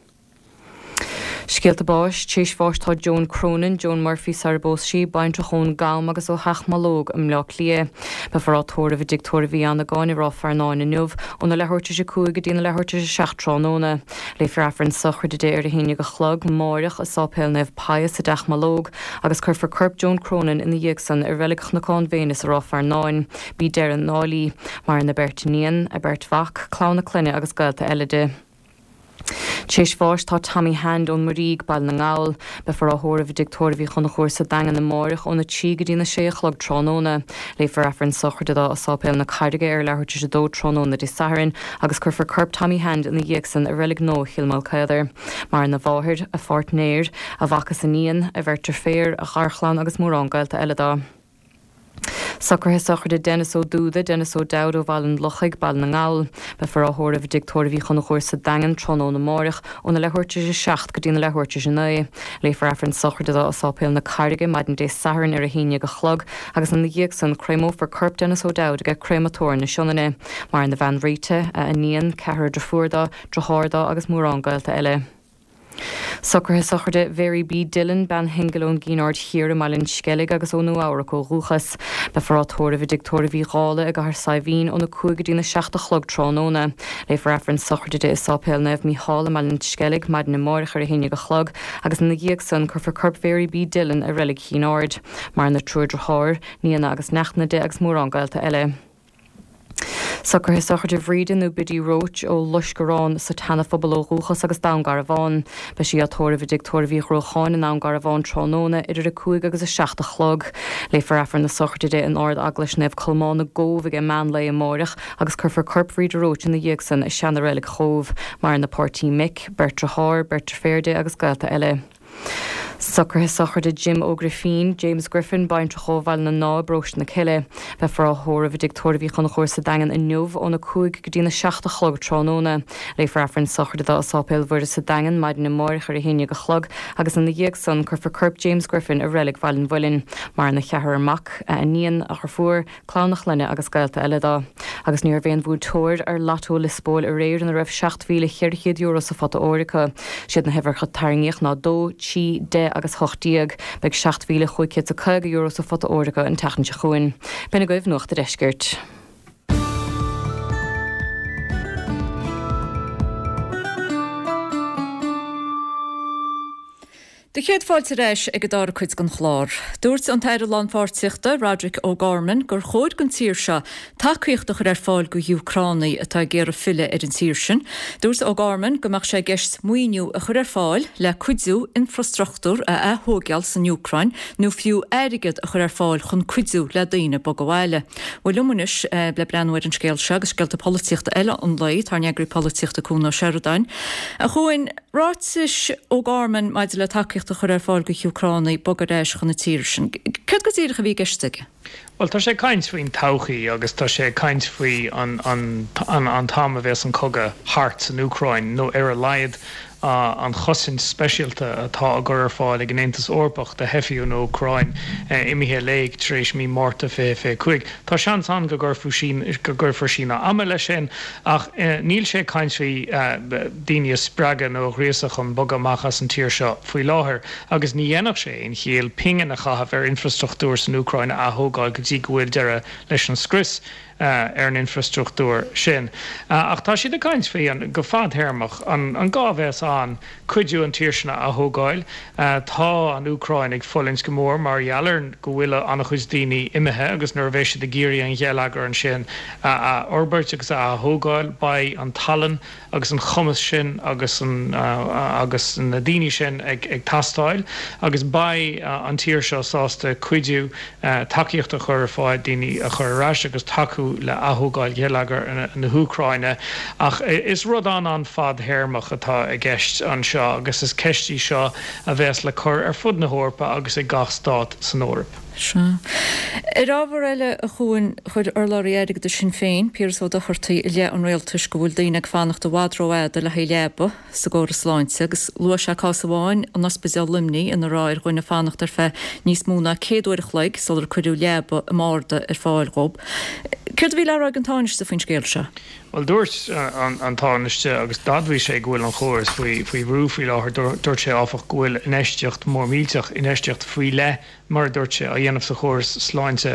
Scéalta báis, Tréis bháis tá Joan Cronin, Joan Murphy sar a bpós sí, baintreach ón gCam agus ó Theach Mológ i mBleá Cliath. Beifear á tórramh i dTigh Tórraimh Uí Annagáin i Ráth Fearnáin inniu óna leathuair tar éis 5 go dtína leathuair tar éis 7 tráthnóna. Léifear Aifreann sochraide di ar a 11 a chlog amáireach i Sáipéal Naomh Pius i dTeach Mológ agus cuirfear corp Joan Cronin ina dhiaidh san i Reilig Chnocán Mhéinis i Ráth Fearnáin. B'í deireadh na ndálaí. Maireann a beirt iníon, a beirt mhac, clann a clainne agus gaolta eile di. T'éis bháis tá Tommy Hand ón Muirígh, Baile na nGall. Beifear á thórramh i dTigh Tórraimh Uí Chonchúir sa Daingean amáireach óna 3 go dtína 6 a chlog tráthnóna. Léifear Aifreann sochraide dó i Sáipéal na Carraige ar leathuair tar éis a dó tráthnóna Dé Sathairn agus cuirfear corp Tommy Hand ina dhiaidh san i Reilig Nua Chill Maoilchaodair. Maireann a mháthair, a pháirtnéir, a mhac is iníon, a bheirt deirféar, a gharchlann agus mórán gaolta eile dó. Socruithe sochraide Denis Ó Dúda, Denis O'Dowd ó Bhaile an Lochaigh, Baile na nGall. Beifear á thórramh i dTigh Tórraimh Uí Chonchúir sa Daingean tráthnóna amáireach óna leathuair tar éis a 7 go dtína leathuair tar éis a 9. Léifear Aifreann sochraide dó i Sáipéal na Carraige maidin Dé Sathairn ar a haon dhéag a chlog agus ina dhiaidh san créamófar corp Denis O'Dowd aige Créamatóir na Sionainne. Maireann a bhean Rita, a iníon, ceathrar deirfiúr dó, driotháir dó agus mórán gaolta eile. Socruithe sochraide Mhary B. Dillon, bean shingil ón gCinn Aird Thiar i mBaile an Sceilg agus ó Nua Eabhrac ó dhúchas. Beifear á tórramh i dTigh Tórraimh Uí Dhálaigh i gCathair Saidhbhín óna 5 go dtína 7 a chlog tráthnóna. Léifear Aifreann sochraide di i Sáipéal Naomh Mícheál i mBaile an Sceilg maidin amáireach ar a haon déag a chlog agus ina dhiaidh san cuirfear corp Mhary B. Dillon i Reilig Chinn Aird. Maireann a triúr driotháir, nianna agus neachtanna di agus mórán gaolta eile. Socruithe sochraide Bhríde nó Biddy Roche ó Loiscearán sa tSeana-Phobal ó dhúchas agus Dún Garbhán. Beidh sí á tórramh i dTigh Tórraimh Uí Ghruacháin i nDún Garbhán tráthnóna idir 5 agus 7 a chlog. Léifear Aifreann na sochraide di in Ard-Eaglais Naomh Colmán i gCóbh ag meán lae amáireach agus cuirfear corp Bhríde Roche ina dhiaidh san i seana-reilig Chóbh. Maireann a páirtí Mick, beirt driotháir, beirt deirféar di agus gaolta eile. Socruithe sochraide Jim Ó Grifín, James Griffin, baintreach ó Bhaile na nDá i bparóiste na Cille. Beifear á thórramh i dTigh Tórraimh Uí Chonchúir sa Daingean inniu óna 5 go dtína 7 a chlog tráthnóna. Léifear Aifreann sochraide dó i Sáipéal Mhuire sa Daingean maidin amáireach ar a haon déag a chlog agus ina dhiaidh san cuirfear corp James Griffin i Reilig Bhaile an Mhuilinn. Maireann a cheathrar mac, a iníon, a dheirfiúr, clann a chlainne agus gaolta eile dó. Agus ní raibh aon bhuaiteoir ar Lotto Lios Póil aréir ina raibh €7,400 sa phota óir acu. Siad na huimhreacha a tarraingíodh ná 2, 3, 10 agus 18. Beidh €7,550 sa phota óir acu an tseachtain seo chugainn. B'in agaibh Nuacht a' Deiscirt. Do chéad fáilte ar ais ag an dara cuid den chlár. Dúirt an tAire Lánpháirtíochta, Roderic O'Gorman, gur chóir don tír seo tacaíocht a chur ar fáil go hÚcránaigh atá ag iarraidh filleadh ar an tír sin. Dúirt O'Gorman go mbeadh sé i gceist maoiniú a chur ar fáil le cuidiú infrastruchtúr a ath-thóigeáil san Úcráin nó fiú airgead a chur ar fáil chun cuidiú le daoine bogadh abhaile. Bhuel liom anois le breathnú ar an scéal seo agus scéalta polaitíochta eile an lae, tá ár n-eagraí polaitíochta Cuan Ó Seireadáin. A Chuain, Ráitis O'Gorman maidir le tacaíocht a chur ar fáil go hÚcránaigh bogadh ar ais chun na tíre sin. Céard go díreach a bhí i gceist aige? Bhuel, tá sé ag caint faoin todhchaí agus tá sé ag caint faoi an an t-am a bheas an cogadh thart san Úcráin, nó ar a laghad an chosaint speisialta atá á gcur ar fáil ag an Aontas Eorpach do theifigh ón Úcráin imithe i léig tar éis mí Márta 2025. Tá seans ann go gcuirfear síneadh ama leis sin ach níl sé ag caint faoi daoine a spreagadh nó a ghríosadh chun bogadh amach as an tír seo faoi láthair agus ní dhéanfadh sé aon chiall pingin a chaitheamh ar infrastruchtúr san Úcráin a ath-thógáil go dtí go bhfuil deireadh leis an scrios ar an infrastruchtúr sin. Ach tá siad ag caint faoi, go fadtéarmach, an gá a bheas ann cuidiú an tír sin a ath-thógáil. Tá an Úcráin ag fulaingt go mór mar gheall ar go bhfuil an-chuid daoine imithe agus nuair a bheidh siad ag iarraidh an gheilleagar ansin a athfhorbairt agus a ath-thógáil beidh an tallann agus an cumas sin agus an agus na daoine sin ag ag teastáil agus beidh an tír seo sásta cuidiú tacaíocht a chur ar fáil daoine a chur ar ais agus tacú le ath-thógáil gheilleagar na hÚcráine. Ach is rud an-an-fhadthéarmach atá i gceist anseo agus is ceist í seo a bheas le cur ar fud na hEorpa agus ag gach stát san Eoraip. Sea. Ar ábhar eile, a Chuain, chuir urlabhraí airgeadais Shinn Féin, Piaras Ó Dochartaigh, i leith an rialtais go bhfuil daoine ag fanacht i bhfad rófhada le haghaidh leaba sa gcóras sláinte agus luaigh sé cás amháin in ospidéal Luimnigh ina raibh ar dhuine fanacht ar feadh níos mó ná 100 uair a chloig sular cuireadh leaba i mbarda ar fáil dhób. Céard a bhí le rá ag an Tánaiste faoin scéal seo? Bhuel, dúirt an Tánaiste, agus d'admhaigh sé go bhfuil an chóras faoi bhrú faoi láthair, dúirt sé áfach go bhfuil infheistíocht mór millteach, infheistíocht faoi leith mar a dúirt sé, á dhéanamh sa chóras sláinte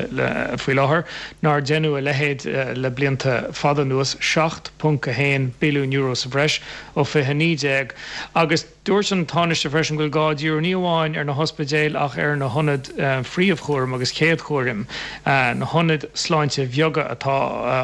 faoi láthair, nár deineadh a leithéid le blianta fada anuas, €7.1 billiún sa bhreis ó 2019. Agus dúirt an Tánaiste freisin go bhfuil gá díriú ní amháin ar na hospidéil ach ar na hionaid phríomhchúraim agus chéadchúraim, na hionaid sláinte bheaga atá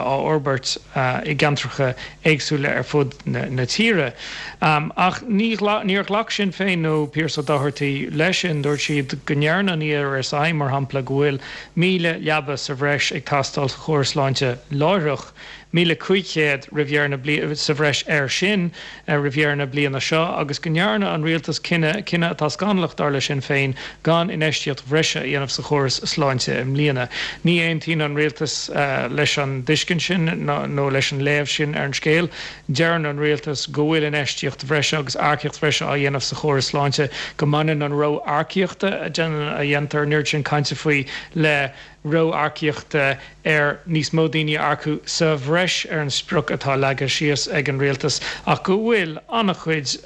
á fhorbairt i gceantar. gceantracha éagsúla ar fud na tíre. Ach ní níor ghlac Sinn Féin nó Pearse Ó Dochartaigh leis sin. Dúirt siad go ndeireann an ERSI, mar shampla, go bhfuil 1,000 leaba sa bhreis ag teastáil sa chóras sláinte láithreach. 1,500 roimh dheireadh na bliana, sa bhreis air sin roimh dheireadh na bliana seo, agus go ndearna an rialtas cinneadh, cinneadh atá scannalach dar le Sinn Féin, gan infheistíocht bhreise a dhéanamh sa chóras sláinte i mbliana. Ní aontaíonn an rialtas leis an dtuiscint sin nó leis an léamh sin ar an scéal. Deireann an rialtas go bhfuil infheistíocht bhreise agus earcaíocht bhreise á dhéanamh sa chóras sláinte, go mbaineann an ró-earcaíochta a dhéantar an oiread sin cainte faoi le ró-earcaíochta ar níos mó daoine a earcú sa bhreis ar an sprioc atá leagtha síos ag an rialtas ach go bhfuil an-chuid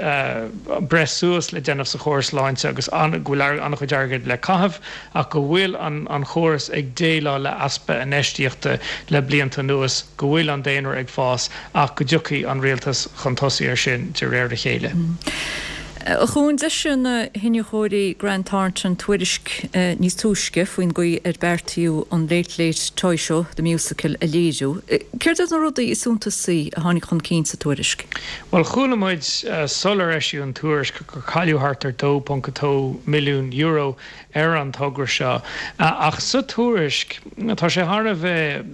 breith suas le déanamh sa chóras sláinte agus go bhfuil an-chuid airgid le caitheamh ach go bhfuil an chóras ag déileáil le easpa infheistíochta le blianta anuas, go bhfuil an daonra ag fás ach go dtiocfaidh an rialtas chun tosaigh air sin de réir a chéile. A Chuain, d'eisigh na hiniúchóirí Grant Thornton tuairisc níos túisce faoin gcaoi ar beartaíodh an Late Late Toy Show, The Musical a léiriú. Céard iad na rudaí is suntasaí a tháinig chun cinn sa tuairisc? Bhuel, chuala muid sular eisíodh an tuairisc gur cailleadh thart ar €2.2 milliún ar an togra seo. Ach sa tuairisc, tá sé thar a bheith,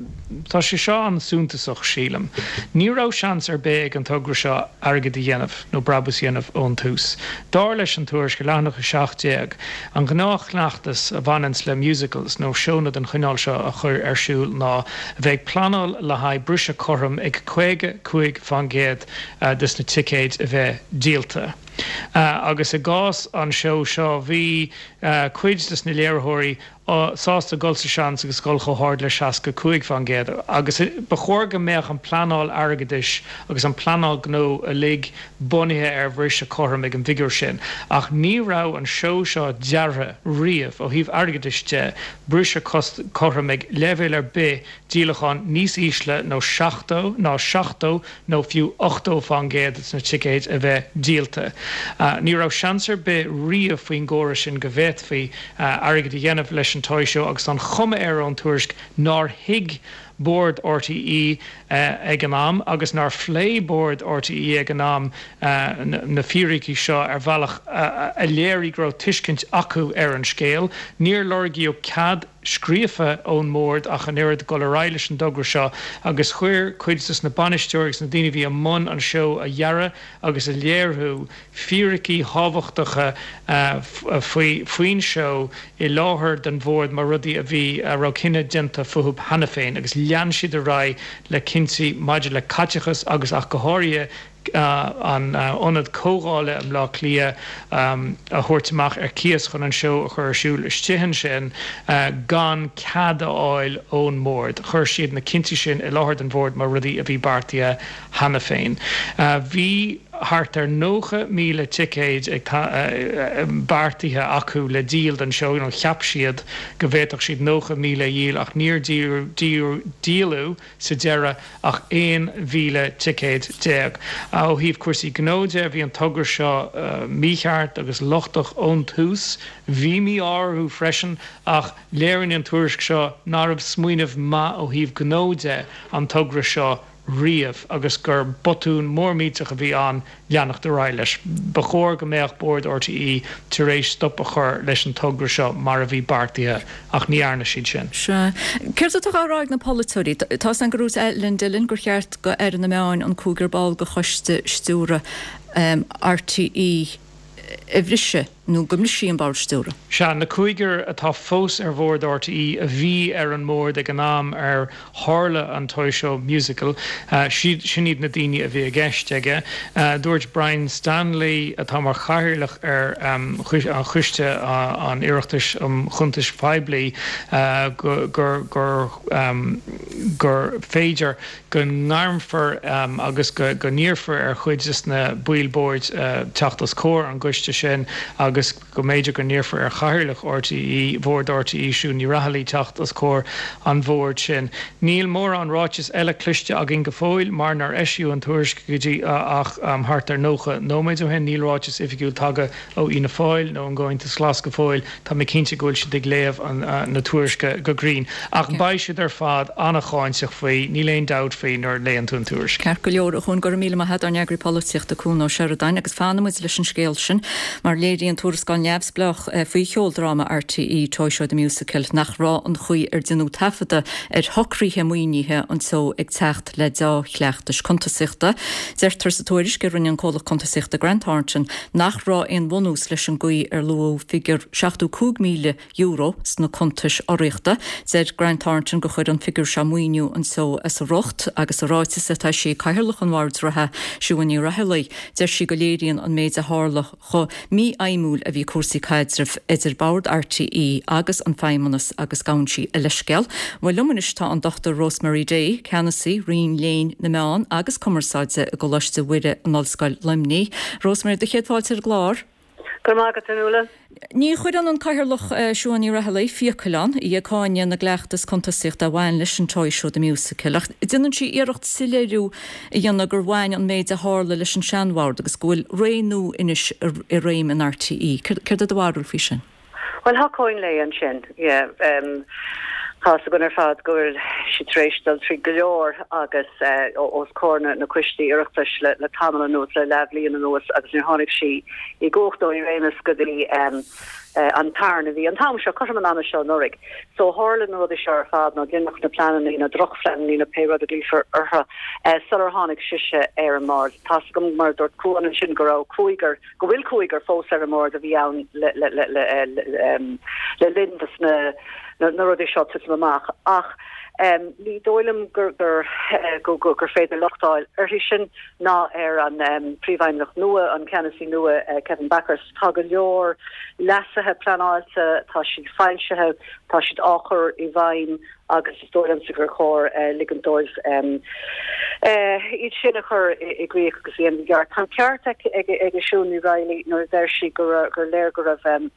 tá sé seo an-suntasach, sílim. Ní raibh seans ar bith ag an togra seo airgead a dhéanamh, nó brabús a dhéanamh ón tús. Dar leis an tuairisc, ar leathanach 17, an gnáthchleachtas a bhaineanns le musicals, nó seónna den chineál seo a chur ar siúl ná a bheith ag pleanáil le haghaidh briseadh cothrom ag 55% des na ticéid a bheith díolta. Agus i gcás an seó seo, bhí cuid des na léiritheoirí sásta dul sa seans agus dul chomh hard le 65%. Agus ba chóir go mbeadh an pleanáil airgeadais agus an pleanáil gnó uilig bunaithe ar bhriseadh cothrom ag an bhfigiúr sin. Ach ní raibh an seó seo deartha riamh, ó thaobh airgeadais de, briseadh cothrom ag leibhéal ar bith díolachán níos ísle nó 70 ná 70 nó fiú 80 fán gcéad de na ticéid a bheith díolta. Ní raibh seans ar bith riamh faoin gcóras sin go bhféadfaí airgead a dhéanamh leis an Toy Show agus tá an chuma air ón tuairisc nár thuig Bord RTÉ ag an am agus nár phléigh Bord RTÉ ag an am na fíricí seo ar bhealach a léirigh go raibh tuiscint acu ar an scéal. Níor lorgaíodh cead scríofa ón mBord ach an oiread dul ar aghaidh leis an dtogra seo agus chuir cuid des na bainisteoirí agus na daoine a bhí i mbun an seó a dhearadh agus a léiriú fíricí thábhachtacha faoi faoin seó i láthair don Bhord mar rudaí a bhí a raibh cinneadh déanta fúthu cheana féin agus lean siad ar aghaidh le cinntí maidir le caiteachas agus ach go háirithe an ionad comhdhála i mBleá Cliath a thabhairt amach ar cíos chun an seó a chur ar siúl istigh ansin gan cead a fháil ón mBord. Chuir siad na cinntí sin i láthair don Bhord mar rudaí a bhí beartaithe cheana féin. Bhí thart ar 90,000 ticéid beartaithe acu le díol don seó, nó cheap siad go bhféadfadh siad 90,000 a dhíol ach níor díoladh sa deireadh ach 11,000 ticéad. Ó thaobh cúrsaí gnó de, bhí an togra seo mícheart agus lochtach ón tús. Bhí mí-ádh orthu freisin ach léiríonn an tuairisc seo nárbh smaoineamh maith ó thaobh gnó de an togra seo riamh agus gur botún mór millteach a bhí ann leanacht ar aghaidh leis. Ba chóir go mbeadh Bord RTÉ tar éis stop a chur leis an togra seo mar a bhí beartaithe ach ní dhearna siad sin. Sea. Céard atá á rá ag na polaiteoirí? Tá 'fhios a'm gur dhúirt Alan Dillon gur cheart do Aire na Meáin an cúigear ball de choiste stiúrtha RTÉ a bhriseadh nó go mbrisfí an bord stiúrtha. Sea, na cúigear atá fós ar bhord RTÉ a bhí ar an mbord ag an am ar tharla an Toy Show Musical, sin iad na daoine a bhí i gceist aige. Dúirt Brian Stanley, atá mar chathaoirleach ar Choiste an Oireachtais um Chuntais Phoiblí, gur gur féidir go ngairmfear agus go n-iarrfar ar chuid de na baill boird teacht os comhair an gcoiste sin agus. agus go mb'fhéidir go n-iarrfar ar Chathaoirleach RTÉ, Bhord RTÉ, Siún Ní Raghallaigh, teacht os comhair an bhoird sin. Níl mórán ráiteas eile cloiste againn go fóill mar nár eisíodh an tuairisc go dtí ach thart ar 90 nóiméad ó shin. Níl ráiteas oifigiúil tagtha ó Fhianna Fáil nó ón gComhaontas Glas go fóill. Tá mé cinnte go bhfuil siad ag léamh na tuairisce go grinn. Ach beidh siad ar fad an-cháinteach faoi, níl aon dabht faoi nuair a léann tú an tuairisc. Ceart go leor, a Chuain, go raibh míle maith agat, ár n-eagraí polaitíochta Cuan Ó Seireadáin, agus fanfaidh muid leis an scéal sin mar léiríonn tuarascáil neamhspleách faoi cheoldráma RTÉ, Toy Show The Musical, nach raibh an chaoi ar deineadh taifeadadh ar shocruithe maoinithe an tseó ag teacht le deá-chleachtais cuntasaíochta. Deirtear sa tuairisc a rinne an comhlacht cuntasaíochta Grant Thornton nach raibh aon bhunús leis an gcaoi ar luadh figiúr €75,000 sna cuntais urraíochta. Deir Grant Thornton gur chuir an figiúr seo maoiniú an tseó as a riocht agus sa ráiteas atá eisithe ag Cathaoirleach an Bhoird reatha, Siún Ní Raghallaigh, deir sí go léiríonn an méid a tharla chomh mífheidhmiúil a bhí cúrsaí caidrimh idir Bord RTÉ agus an Feidhmeannas agus gabhann sí a leithscéal. Bhuel liom anois tá an Dr Rosemary Day, Ceannasaí Roinn Léinn na Meán agus Cumarsáide i gColáiste Mhuire in Ollscoil Luimnigh. Rosemary, do chéad fáilte ar an gclár. Go raibh maith agat, a Fhionnuala. Ní chuireann an Cathaoirleach Siún Ní Raghallaigh fiacail ann, í ag cáineadh na gcleachtas cuntasaíochta a bhain leis an Toy Show The Musical, ach déanann sí iarracht soiléiriú a dhéanamh gur bhain an méid a tharla leis an seanbhord agus go bhfuil ré nua anois i réim in RTÉ. Céard é do bharúil faoi sin? Bhuel, thacóinn léi ansin, yeah. Tá's againn ar fad go bhfuil sí tar éis dul trí go leor agus os comhair na coistí Oireachtais le tamall anuas, le leathbhliain anuas agus níor tháinig sí i gcumhacht nó i réimeas go dtí an tarna mhí, an t-am seo, cothrom an ama seo anuraidh. So tharla na rudaí seo ar fad, nó deineadh na pleananna, na drochphleananna nó pé rud a ghlaofar orthu, sular tháinig sise ar an mbord. Tá's agam, mar a dúirt Cuan ansin, go raibh cúigear, go bhfuil cúigear fós ar an mbord a bhí ann le linn dos na rudaí seo titim amach ach ní dóigh liom gur gur féidir locht a fháil uirthi sin ná ar an príomhfheidhmeannach nua, an ceannasaí nua Kevin Bakhurst. Tá go leor leasuithe pleanáilte, tá siad foilsithe, tá siad á chur i bhfeidhm agus is dóigh liomsa gur chóir ligint dóibh iad sin a chur i gcrích agus a dhéanamh i gceart. Tá an ceart ag Siún Ní Raghallaigh nuair a deir sí gur léir go raibh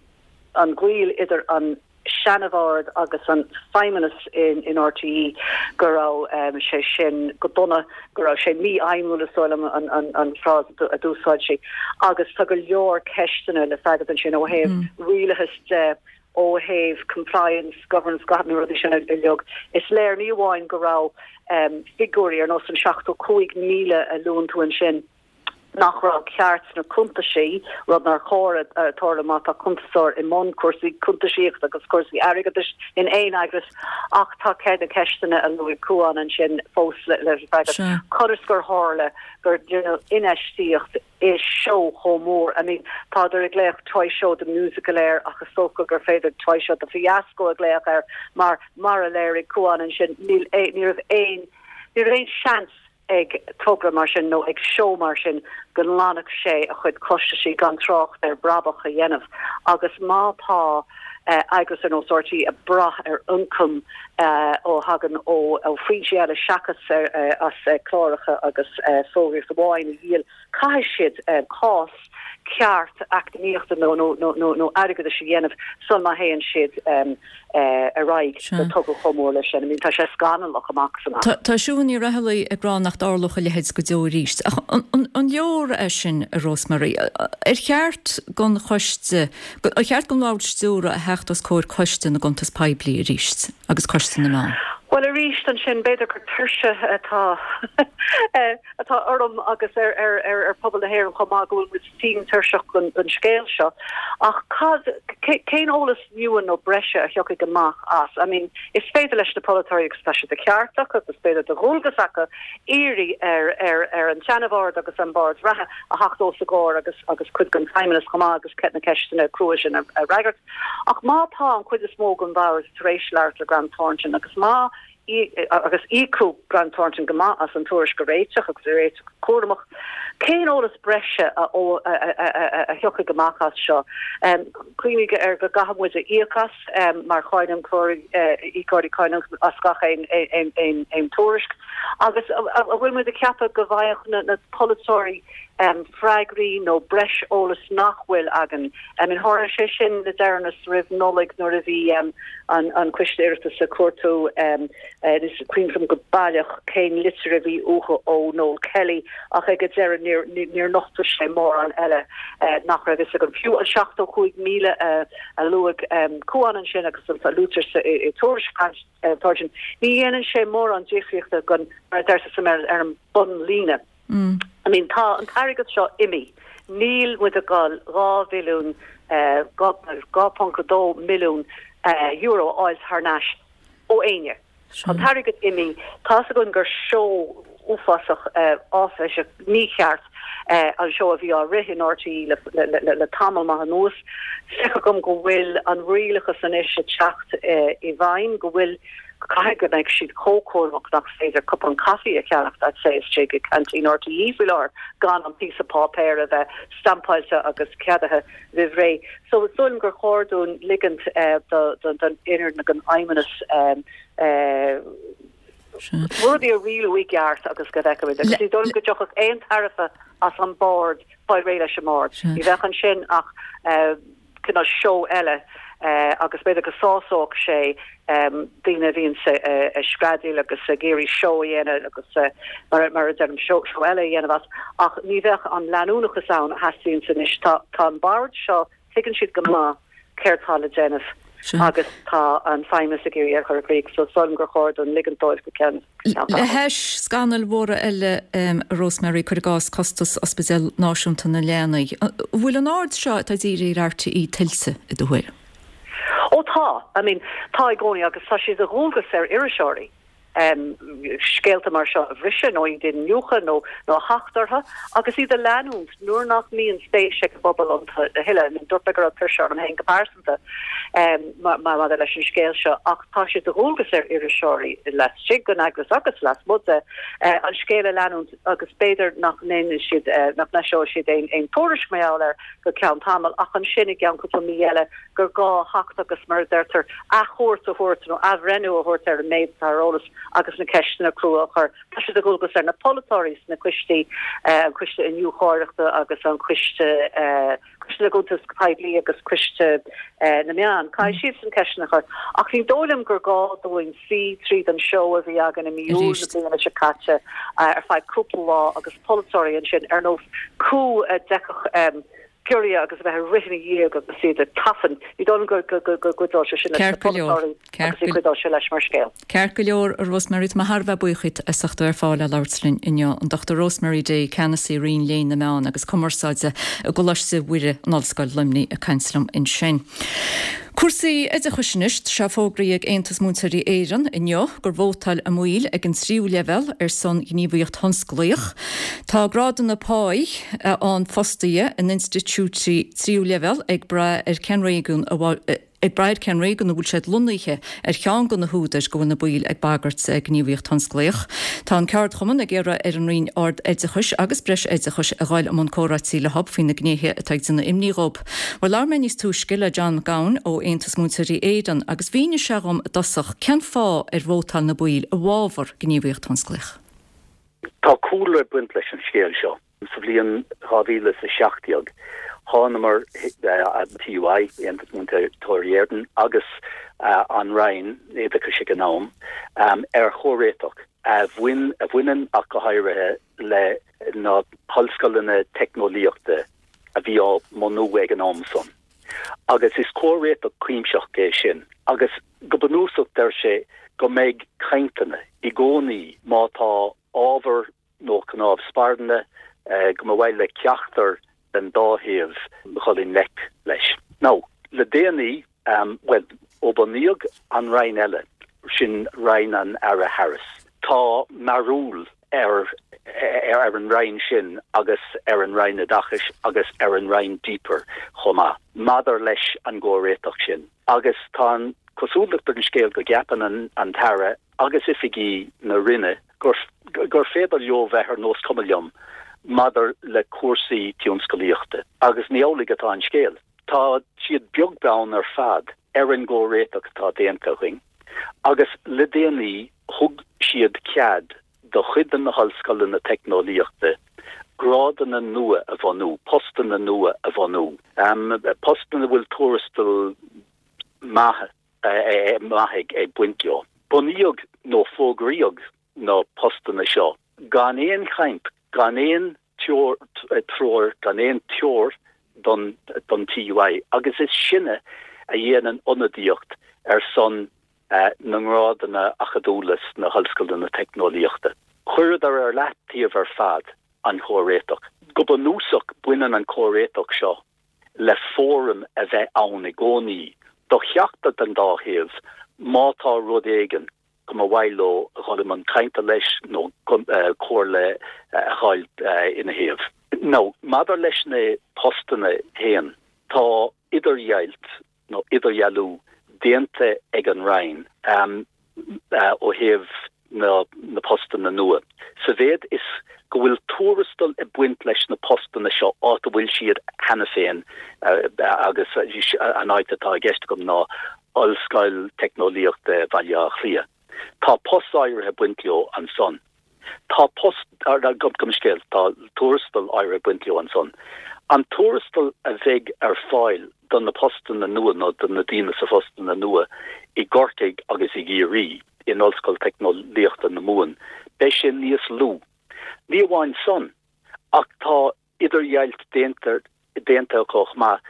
an gaol idir an seanabhord agus an feidhmeannas in RTÉ, go raibh sé sin go dona, go raibh sé mífheidhmiúil is dóigh liom an frása a d'úsáid sí. Agus tá go leor ceisteanna le freagairt ansin ó thaobh rialachas de, ó thaobh compliance, governance, gach na rudaí sin uilig. Is léir ní amháin go raibh figiúirí ar nós an 75,000 a luann tú ansin, nach raibh ceart sna cuntaisí, rud nár chóir tarlú má tá cuntasóir i mbun cúrsaí cuntaisíochta agus cúrsaí airgeadais in aon eagras, ach tá na ceisteanna a luaigh Cuan ansin fós le freagairt. Conas gur tharla gur deineadh infheistíocht i seó chomh mór. I mean, tádar ag glaoch Toy Show the Musical air ach is dócha gur féidir Toy Show the Fiasco a ghlaoch air mar, mar a léirigh Cuan ansin, níl, ní raibh aon, ní raibh aon seans ag togra mar sin nó ag seó mar sin go nglanfadh sé a chuid costaisí gan trácht ar brabach a dhéanamh agus má tá eagras ar nós RTÉ ag brath ar ioncam ó thagann ó fhoinsí eile seachas as cláracha agus fógraíocht amháin a dhíol, caithfidh siad cás ceart eacnamaíochta nó airgeadais a dhéanamh sul má théann siad ar aghaidh le togra chomh mór leis sin. I mean, tá sé scannalach amach is amach. Tá Siún Ní Raghallaigh ag rá nach dtarlódh a leithéid go deo arís. Ach an leor é sin, a Rosemary? Ar cheart don choiste, ar cheart don Bhord Stiúrtha a theacht os comhair Coiste na gCuntas Poiblí arís agus Coiste na Meán? Bhuel, arís ansin, b'fhéidir gur tuirse atá atá orm agus ar ar ar ar phobal na hÉireann chomh maith go bhfuil muid tinn tuirseach den den scéal seo. Ach cad, cén eolas nua nó breise a thiocfaidh amach as? I mean, is féidir leis na polaiteoirí, agus tá sé de cheart acu agus b'fhéidir de dhualgas acu, iarraidh ar ar ar an tseanabhord agus an bord reatha a theacht os a gcomhair agus agus cuid den feidhmeannas chomh maith agus na ceisteanna crua sin a fhreagairt. Ach má tá an chuid is mó den bhord tar éis labhairt le Grant Thornton agus má agus íocadh Grant Thornton go maith as an tuairisc a réiteach agus a réiteach go cúramach. Cén eolas breise a a thiocfaidh amach as seo? Cuimhnigh ar go gcaithfidh muid a íoc as mar cháin íocóirí cáin as gach aon tuairisc. Agus an bhfuil muid ag ceapadh go bhfaigheadh na polaiteoirí freagraí nó breis eolais nach bhfuil againn? I mean tharla sé sin le deireanas roimh Nollaig nuair a bhí an Coiste Oireachtais ag cuartú, is cuimhin liom go baileach cén litir a bhí uathu ó Noel Kelly ach ag an deireadh níor níor nochtadh sé mórán eile nach raibh fhios againn. Fiú an 75,000 a luaigh Cuan ansin agus a luaitear sa i tuairisc Thornton, ní dhéanann sé mórán difríochta don, mar a deirtear sa mBéarla, ar an bunlíne. I mean tá an t-airgead seo imithe. Níl muid ag dul 2 bhilliún, 2.2 milliún euro a fháil thar n-ais ó éinne. Tá an t-airgead imithe. Tá's againn gur seó uafásach áiféiseach mícheart an seó a bhí á rith in RTÉ le tamall maith anuas. Feictear dom go bhfuil an rialachas anois ag teacht i bhfeidhm, go bhfuil, caithfidh go mbeidh siad chomh cúramach nach féidir cupán caife a cheannacht, I'd say, istigh i gceaintín RTÉ faoi láthair gan an píosa páipéir a bheith stampáilte agus ceadaithe roimh ré. So is dóigh liom gur chóir dúinn ligint don fhoireann nó don fheidhmeannas rudaí a rialú i gceart agus go bhfeicfimid. Agus ní dóigh liom go dtiocfadh aon tairbhe as an bord fáil réidh leis an mbord. Ní bheadh ansin ach cineál seó eile agus b'fhéidir go sásódh sé daoine a bhíonns ag screadaíl agus ag iarraidh seó a dhéanamh agus mar a deirim seó eile a dhéanamh as ach ní bheadh an leanúnachas ann a theastaíonns anois. Tá an bord seo, tuigeann siad go maith céard tá le déanamh agus tá an feidhmeannas ag iarraidh é a chur i gcrích so is dóigh liom gur chóir dúinn ligint dóibh go ceann Le hais scannail mhóra eile, a Rosemary, cuir i gcás costas Ospidéal Náisiúnta na Leanaí, an bhfuil an aird seo atá dírithe ar RTÉ tuillte, i do thuairim? Ó tá. I mean, tá i gcónaí agus tá sé de dhualgas ar iriseoirí scéalta mar seo a bhriseadh nó iad a iniúchadh nó nó a theacht orthu agus iad a leanúint nuair nach mbíonn spéis ag an bpobal iontu a thuilleadh. I mean, dúirt mé go raibh tuirse orm féin go pearsanta. maidir leis an scéal seo ach tá sé de dhualgas ar iriseoirí laistigh den eagras agus lasmuigh de an scéal a leanúint agus b'fhéidir nach ndéanfaidh siad, nach n-eiseoidh siad aon tuairisc mar gheall air go ceann tamaill ach ansin i gceann cúpla mí eile gur gá theacht agus mar a deirtear athchuairt a thabhairt nó athbhreithniú a thabhairt ar an méid atá ar eolas agus na ceisteanna crua a chur. Tá sé de dhualgas ar na polaiteoirí sna coistí, an Coiste Iniúcháireachta agus an Coiste. Coiste na gCuntas Poiblí agus Coiste na Meán. Caithfidh siadsan ceisteanna a chur. Ach ní dóigh liom gur gá dúinn suí tríd an seó a bhí againn i mí Iúil na bliana seo caite ar feadh cúpla lá agus polaiteoirí ansin ar nós cú a d'fheicfeadh giorria agus a bheith ag rith ina dhiaidh agus iad ag tafann. Ní dóigh liom go gcuideodh sé sin leis na polaiteoirí agus ní chuideodh sé leis mar scéal. Ceart go leor, a Rosemary, tá mé thar a bheith buíoch díot as ucht a bheith ar fáil le labhairt linn inniu. An Dr Rosemary Day, Ceannasaí Roinn Léinn na Meán agus Cumarsáide i gColáiste Mhuire in Ollscoil Luimnigh ag caint liom ansin. Cúrsaí oideachais anois, tá sé fógraithe ag Aontas Múinteoirí Éireann inniu gur vótáil a mbaill ag an tríú leibhéal ar son gníomhaíocht thionsclaíoch. Tá grádanna páí ann fostaithe in institiúidí tríú leibhéal ag brath ar cén réigiún a Ag brath ar cén réigiún a bhfuil siad lonnaithe ar cheann de na húdair go bhfuil na baill ag bagairt gníomhaíocht thionsclaíoch. Tá an ceardchumann ag iarraidh ar an Roinn Ard-Oideachais agus Breis-Oideachais a ghoil i mbun comhráití leo faoi na gnéithe atá ag déanamh imní dhóibh. Bhuel labhair mé níos túisce le John Mac Gabhann ó Aontas Múinteoirí Éireann agus mhínigh sé dhom i dtosach cén fáth ar vótáil na baill i bhfabhar gníomhaíocht thionsclaíoch. Tá cúlra ag baint leis an scéal seo. Sa bhliain 2017, thánamar, an TUI, Aontas Múinteoirí Éireann, agus an Roinn Oideachais ag an am, ar chomhréiteach a bhain, a bhaineann ach go háirithe le na hollscoileanna teicneolaíochta a bhí á mbunú ag an am san. Agus is comhréiteach cuimsitheach é sin. Agus go bunúsach deir sé go mbeidh cainteanna i gcónaí má tá ábhar nó cnámh spairne go mba mhaith le ceachtar den dá thaobh dhul i ngleic leis. Now, le déanaí, bhuel, ó bunaíodh an Roinn eile, sin Roinn an Aire Harris, tá mearúil ar ar an Roinn sin agus ar an Roinn Oideachais agus ar an Roinn DPER chomh maith maidir leis an gcomhréiteach sin. Agus tá an chosúlacht ar an scéal go gceapann an tAire agus oifigí na Roinne gur gur féidir leo bheith ar nós cuma liom maidir le cúrsaí tionscalaíochta. Agus ní amhlaidh atá an scéal. Tá siad beag beann ar fad ar an gcomhréiteach atá déanta againn agus le déanaí thug siad cead. do chuid de na hollscoileanna teicneolaíochta grádanna nua a bhunú, postanna nua a bhunú, postanna a bhfuil tuarastal maith maith ag baint leo. Bunaíodh nó fógraíodh na postanna seo gan aon chaint, gan aon treoir, gan aon treoir don don TUI agus is sinne a dhéanann ionadaíocht ar son na ngrádanna acadúla sna hollscoileanna teicneolaíochta. Chuireadar ar leataobh ar fad an comhréiteach. Go bunúsach baineann an comhréiteach seo le fóram a bheith ann i gcónaí do cheachtar den dá thaobh má tá rud éigin go mba mhaith leo a dhul i mbun cainte leis nó comhairle a fháil ina thaobh. Now, maidir leis na postanna féin, tá idirdheighilt nó idirdhealú déanta ag an Roinn ó thaobh na postanna nua, sa mhéad is go bhfuil tuarastal ag baint leis na postanna seo áit a bhfuil siad cheana féin agus an áit atá i gceist agam ná Ollscoil Teicneolaíochta Bhaile Átha Cliath. Tá post áirithe ag baint leo ansan. Tá post, gabh mo leithscéal, tá tuarastal áirithe ag baint leo ansan. An tuarastal a bheidh ar fáil do na postanna nua nó do na daoine sa phostanna nua i gCorcaigh agus i gCiarraí, in Ollscoil Teicneolaíochta na Mumhan, beidh sé níos lú. Ní amháin san, ach tá idirdheighilt déanta déanta acu chomh maith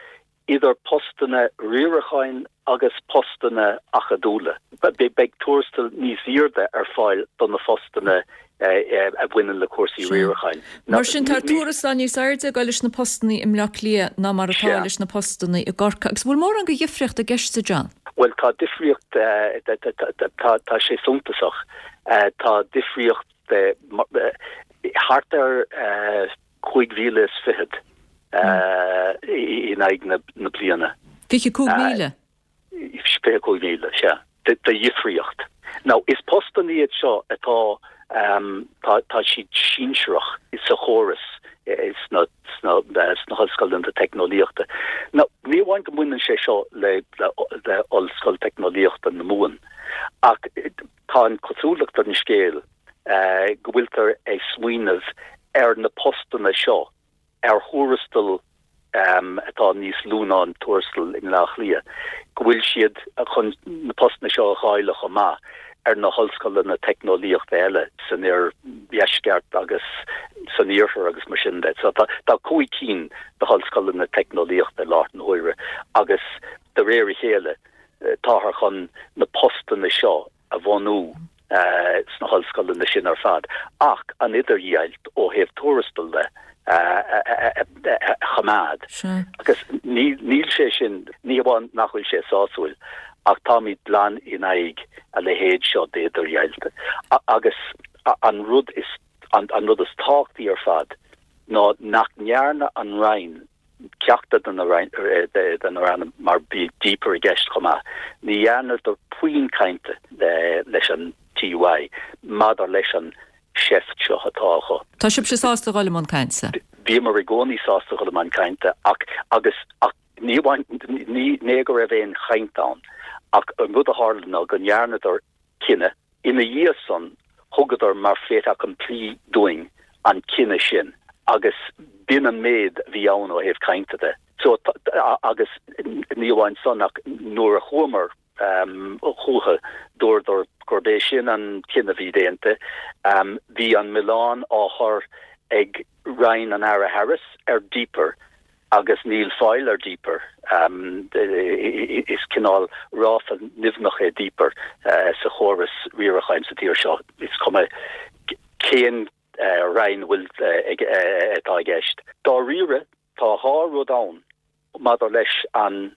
idir postanna riaracháin agus postanna acadúla. Beidh tuarastal níos airde ar fáil do na phostanna a bhaineann le cúrsaí riaracháin. Mar sin, tá tuarastal níos airde ag dul leis na postanna i mBleá Cliath ná mar atá leis na postanna i gCorcaigh. Agus bhfuil mórán de dhifríocht i gceist, a John? Bhuel, tá difríocht, tá sé suntasach. Tá difríocht thart ar 5,020 in aghaidh na bliana. 25,000? 25,000, sea, de dhifríocht. Now, is postanna iad seo atá, tá siad sinsearach sa chóras sna hollscoileanna teicneolaíochta. Now, ní amháin go mbaineann sé seo le Ollscoil Teicneolaíochta na Mumhan, ach tá an chosúlacht ar an scéal go bhfuiltear ag smaoineamh ar na postanna seo ar thuarastal atá níos lú ná an tuarastal i mBleá Cliath, go bhfuil siad chun na postanna seo a dháileadh chomh maith ar na hollscoileanna teicneolaíochta eile san oirdheisceart agus san iarthar agus mar sin de. So tá 5 cinn de hollscoileanna teicneolaíochta i láthair na huaire agus de réir a chéile táthar chun na postanna seo a bhunú sna hollscoileanna sin ar fad, ach an idirdheighilt ó thaobh tuarastail de a choimeád. Agus níl sé sin, ní hamháin nach bhfuil sé sásúil, ach táimid glan in aghaidh a leithéid seo d'idirdheighilt. Agus an rud is, an rud is tábhachtaí ar fad ná nach ndearna an Roinn ceachtar de na ranna, mar bhí DPER i gceist chomh maith, ní dhearnadar puinn cainte leis an TUI maidir leis an seift seo atá acu. Tá sibhse sásta dhul i mbun cainte? Bhíomar i gcónaí sásta dhul i mbun cainte ach, agus, ach ní amháin, ní, ní go raibh aon chaint ann ach an rud a tharla ná go ndearnadar cinneadh Ina dhiaidh san, thugadar mar fait accompli dúinn an cinneadh sin agus b'in an méid a bhí ann ó thaobh cainte de. So, agus ní amháin san ach nuair a chuamar chucu, dúradar gurb é sin an cinneadh a bhí déanta. Bhí an milleán á chur ag Roinn an Aire Harris ar DPER agus níl fáil ar DPER. Is cineál ráfla nimhneach é DPER sa chóras riaracháin sa tír seo, is cuma cén roinn a bhfuil atá i gceist. Dáiríre, tá dhá rud ann maidir leis an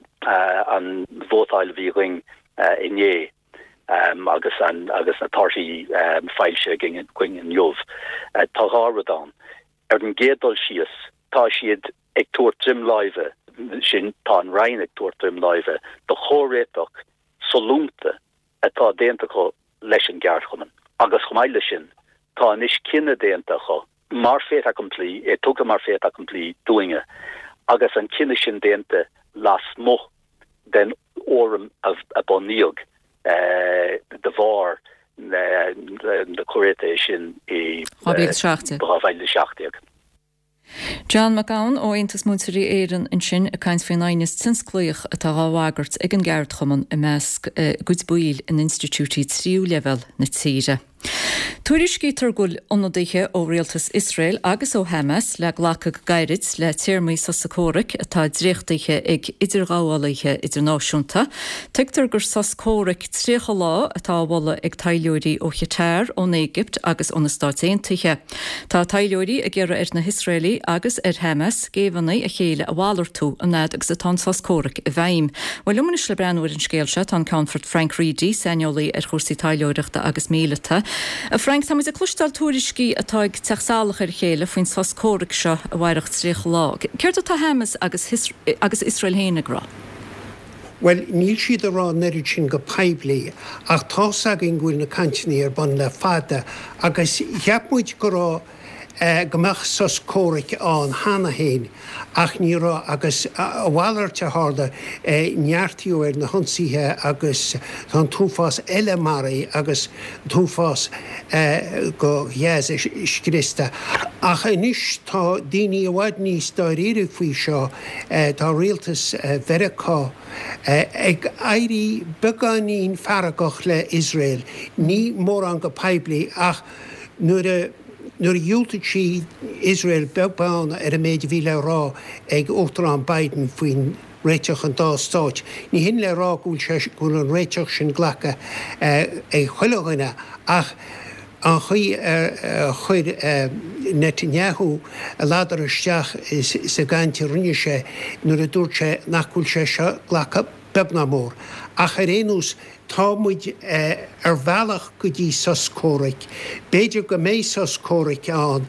vótáil a bhí againn inné agus agus na torthaí foilsithe againn inniu. Tá dhá rud ann. Ar an gcéad dul síos, tá siad ag tabhairt droim láimhe, sin, tá an Roinn ag tabhairt droim láimhe do chomhréiteach sollúnta atá déanta acu leis an gceardchumann. Agus chomh maith leis sin, tá anois cinneadh déanta acu, mar fait accompli, é tugtha mar fait accompli dúinne, agus an cinneadh sin déanta lasmuigh den fhóram a bunaíodh de bharr. Na comhréitithe sin i 2017. 2017. John Mac Gabhann ó Aontas Múinteoirí Éireann ansin ag caint faoin aighneas tionsclaíoch atá dhá bhagairt ag an gceardchumann i measc a gcuid baill in institiúidí tríú leibhéal na tíre. Tuairiscítear go bhfuil ionadaithe ó rialtas Iosrael agus ó Hamas le glacadh go gairid le téarmaí sosa comhraic atá dréachtaithe ag idirghabhálaithe idirnáisiúnta. Tuigtear gur sos comhraic 30 lá atá á mholadh ag taidhleoirí ó Chatar, ón Éigipt agus ó na Stáit Aontaithe. Tá taidhleoirí ag iarraidh ar na hIosraelaigh agus ar Hamas géibheannaigh a chéile a mhalartú an fhad agus atá an sos comhraic i bhfeidhm. Bhuel, liom anois le breathnú ar an scéal seo tá an Ceannfort Frank Reidy, saineolaí ar chúrsaí taidhleoireachta agus míleata. A Frank, tá muid ag cloisteáil tuairiscí atá ag teacht salach ar a chéile faoin sos comhraic seo a mhairfeadh 30 lá. Céard atá Hamas agus agus Iosrael féin ag rá? Bhuel, níl siad ag rá an oiread sin go poiblí, ach tá's againn go bhfuil na cainteanna ar bun le fada agus cheap muid go raibh, go mbeadh sos comhraic ann cheana féin ach ní raibh agus a mhalairt a tharla, neartaíodh ar na hionsaithe agus tá an t-uafás eile maraithe agus an t-uafás go Gaza scriosta. Ach anois tá daoine i bhfad níos dáiríre faoi seo, tá rialtas Mheiriceá ag éirí beagáinín feargach le Iosrael, ní mórán go poiblí ach nuair a nuair a dhiúltaigh sí Iosrael beag beann ar an méid a bhí le rá ag Uachtarán Biden faoin réiteach an dá stáit. Ní hin le rá go bhfuil sé go bhfuil an réiteach sin glactha ag chuile dhuine ach an chaoi ar chuir Netanyahu a ladar isteach sa gcaint a rinne sé nuair a dúirt sé nach bhfuil sé seo glactha beag ná mór. Ach ar aon nós, tá muid ar bhealach go dtí sos comhraic. B'fhéidir go mbeidh sos comhraic ann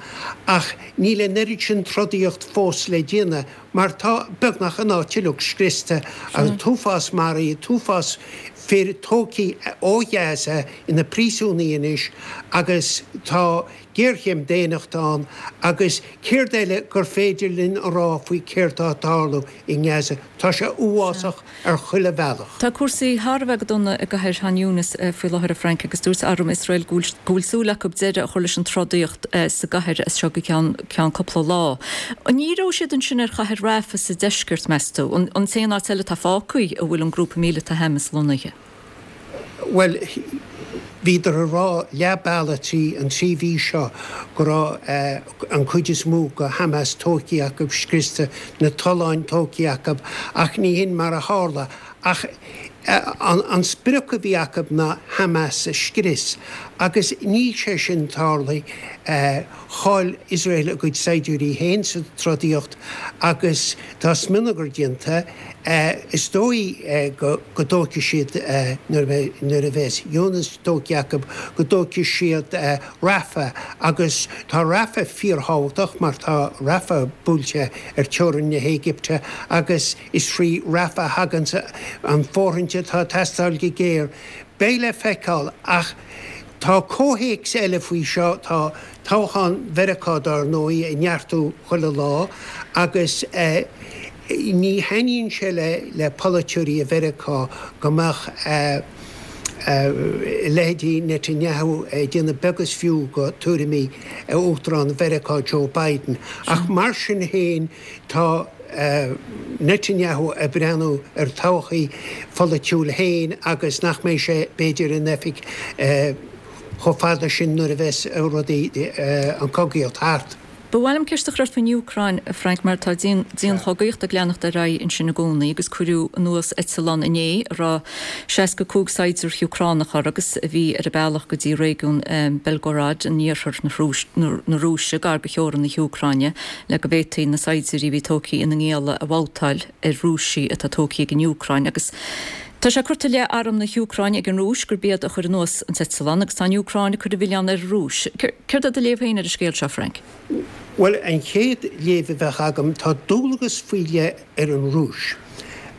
ach níl an oiread sin trodaíocht fós le déanamh mar tá beagnach an áit uilig scriosta, an t-uafás maraithe, an t-uafás fir tógtha ó Ghaza ina bpríosúnaigh anois agus tá géarchéim daonnachta ann agus céard eile gur féidir linn a rá faoi céard atá ag tarlú i nGaza? Tá sé uafásach ar chuile bhealach. Tá cúrsaí thar a bheith go dona i gcathair Khan Younis faoi láthair, a Frank, agus dúirt arm Iosrael go bhfuil súil acu deireadh a chur leis an trodaíocht sa gcathair as seo go ceann cúpla lá. An ndíreoidh siad ansin ar chathair Rafah sa deisceart, meas tú, an t-aon áit eile atá fágtha a bhfuil an grúpa míleata Hamas lonnaithe? Bhuel, bhíodar ag rá leath bealaigh trí an trí mhí seo go raibh an cuid is mó go Hamas tógtha acu, scriosta, na tolláin tógtha acu, ach ní hin mar a tharla. Ach an sprioc a bhí acu ná Hamas a scrios, agus níl sé sin tarlaithe. Chaill Iosrael a gcuid saighdiúirí féin sa trodaíocht agus tá smionagar déanta. Is dóigh go dtógfaidh siad, nuair a bheas Younis tógtha acu, go dtógfaidh siad Rafah agus tá Rafah fíorthábhachtach mar tá Rafah buailte ar teorainn na hÉigipte agus is trí Rafah a thagann an fóirithint atá ag teastáil go géar. Beidh le feiceáil ach tá comhthéacs eile faoi seo, tá toghchán Mheiriceá dár ndóigh ag neartú chuile lá agus ní thaitníonn sé le polaiteoirí i Mheiriceá go mbeadh leithéidí Netanyahu ag déanamh beag is fiú go tuairimí Uachtarán Mheiriceá Joe Biden. Ach mar sin féin tá Netanyahu ag breathnú ar todhchaí pholaitiúil féin agus nach mbeidh sé b'fhéidir in oifig chomh fada sin nuair a bheas rudaí, an chogaíocht thart. Ba mhaith liom ceist a chur ort faoin Úcráin, a Frank, mar tá dianchogaíocht ag leanacht ar aghaidh ansin i gcónaí agus cuireadh anuas eitleán inné a raibh 65 saighdiúir Úcránach air agus a bhí ar a bealach go dtí réigiún Belgorod in iarthar na Rúise, gar do theorainn na hÚcráine, le go bhféadfaí na saighdiúirí a bhí tógtha ina ngialla a bhabhtáil ar Rúisigh atá tógtha ag an Úcráin agus Tá sé curtha i leith arm na hÚcráine ag an Rúis gurb iad a chuir anuas an t-eitleán agus tá an Úcráin ag cur an mhilleáin ar an Rúis. Céard é do léamh féin ar an scéal seo, Frank? Bhuel, an chéad léamh a bheadh agam, tá dualgas faoi leith ar an Rúis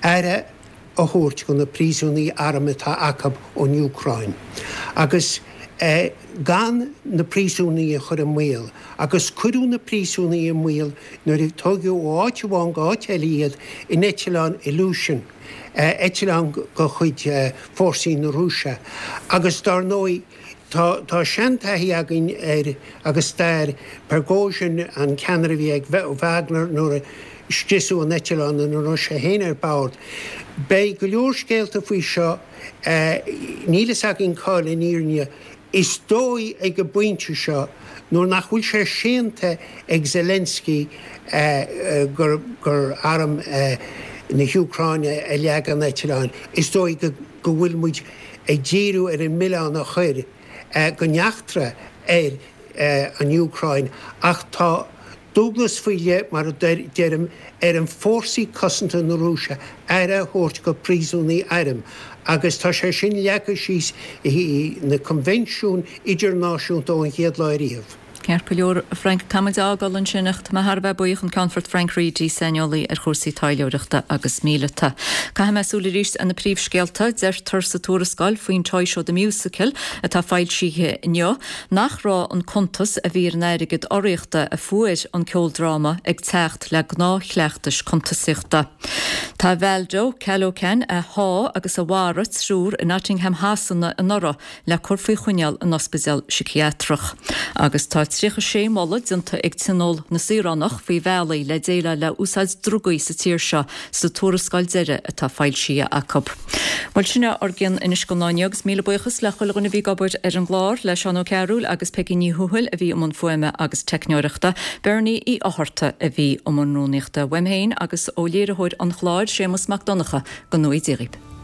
aire a thabhairt do na príosúnaigh airm atá acu ón Úcráin agus gan na príosúnaigh a chur i mbaol. Agus cuireadh na príosúnaigh i mbaol nuair a tógadh ó áit amháin go áit eile iad in eitleán Ilyushin. eitleán de chuid fórsaí na Rúise. Agus dár ndóigh, Tá tá seantaithí againn ar agus stair Prigozhin, an ceannaire a bhí ag Wagner nuair a scriosadh an eitleán ina raibh sé féin ar bord. Beidh go leor scéalta faoi seo. Níl fhios againn cá'il an fhírinne. Is dóigh ag an bpointe seo, nuair nach bhfuil sé séanta ag Zelensky gur gur arm na hÚcráine a leag an eitleán, is dóigh go go bhfuil muid ag díriú ar an milleán a chur don eachtra ar an Úcráin ach tá dualgas faoi leith, mar a deirim, ar an fórsaí cosanta na Rúise aire a thabhairt go príosúnaigh airm agus tá sé sin leagtha síos i na coinbhinsiúin idirnáisiúnta ón chéad lá ariamh. Ceart go leor, a Frank, tá muid á fhágáil ansin ach tá mé thar a bheith buíoch an Ceannfort Frank Reidy, saineolaí ar chúrsaí taidhleoireachta agus míleata. Caithfidh mé súil arís ar na príomhscéalta. Deirtear sa tuarascáil faoin Toy Show The Musical atá foilsithe inniu nach raibh an cuntas a bhí ar an airgead urraíochta a fuair an ceoldráma ag teacht le gnáthchleachtais cuntasaíochta. Tá Valdo Calocane a sháigh agus a mharaigh triúr i Nottingham Shasana anuraidh le cur faoi choinneáil in ospidéal siciathrach. Agus tá 36 moladh déanta ag Tionól na Saoránach faoi bhealaí le déileáil le úsáid drugaí sa tír seo sa tuarascáil deiridh atá foilsithe acu. Bhuel, sin é ár gcion anois don lá inniu agus míle buíochas le chuile dhuine a bhí ag obair ar an gclár, le Seán Ó Cearúil agus Peigí Ní Thuathail a bhí i mbun fuaime agus teicneoireachta, Bernie Uí Fhátharta a bhí i mbun rúnaíochta. Uaim féin agus ó léiritheoir an chláir, Séamus Mac Donncha, go ngnóthaí Dia dhaoibh.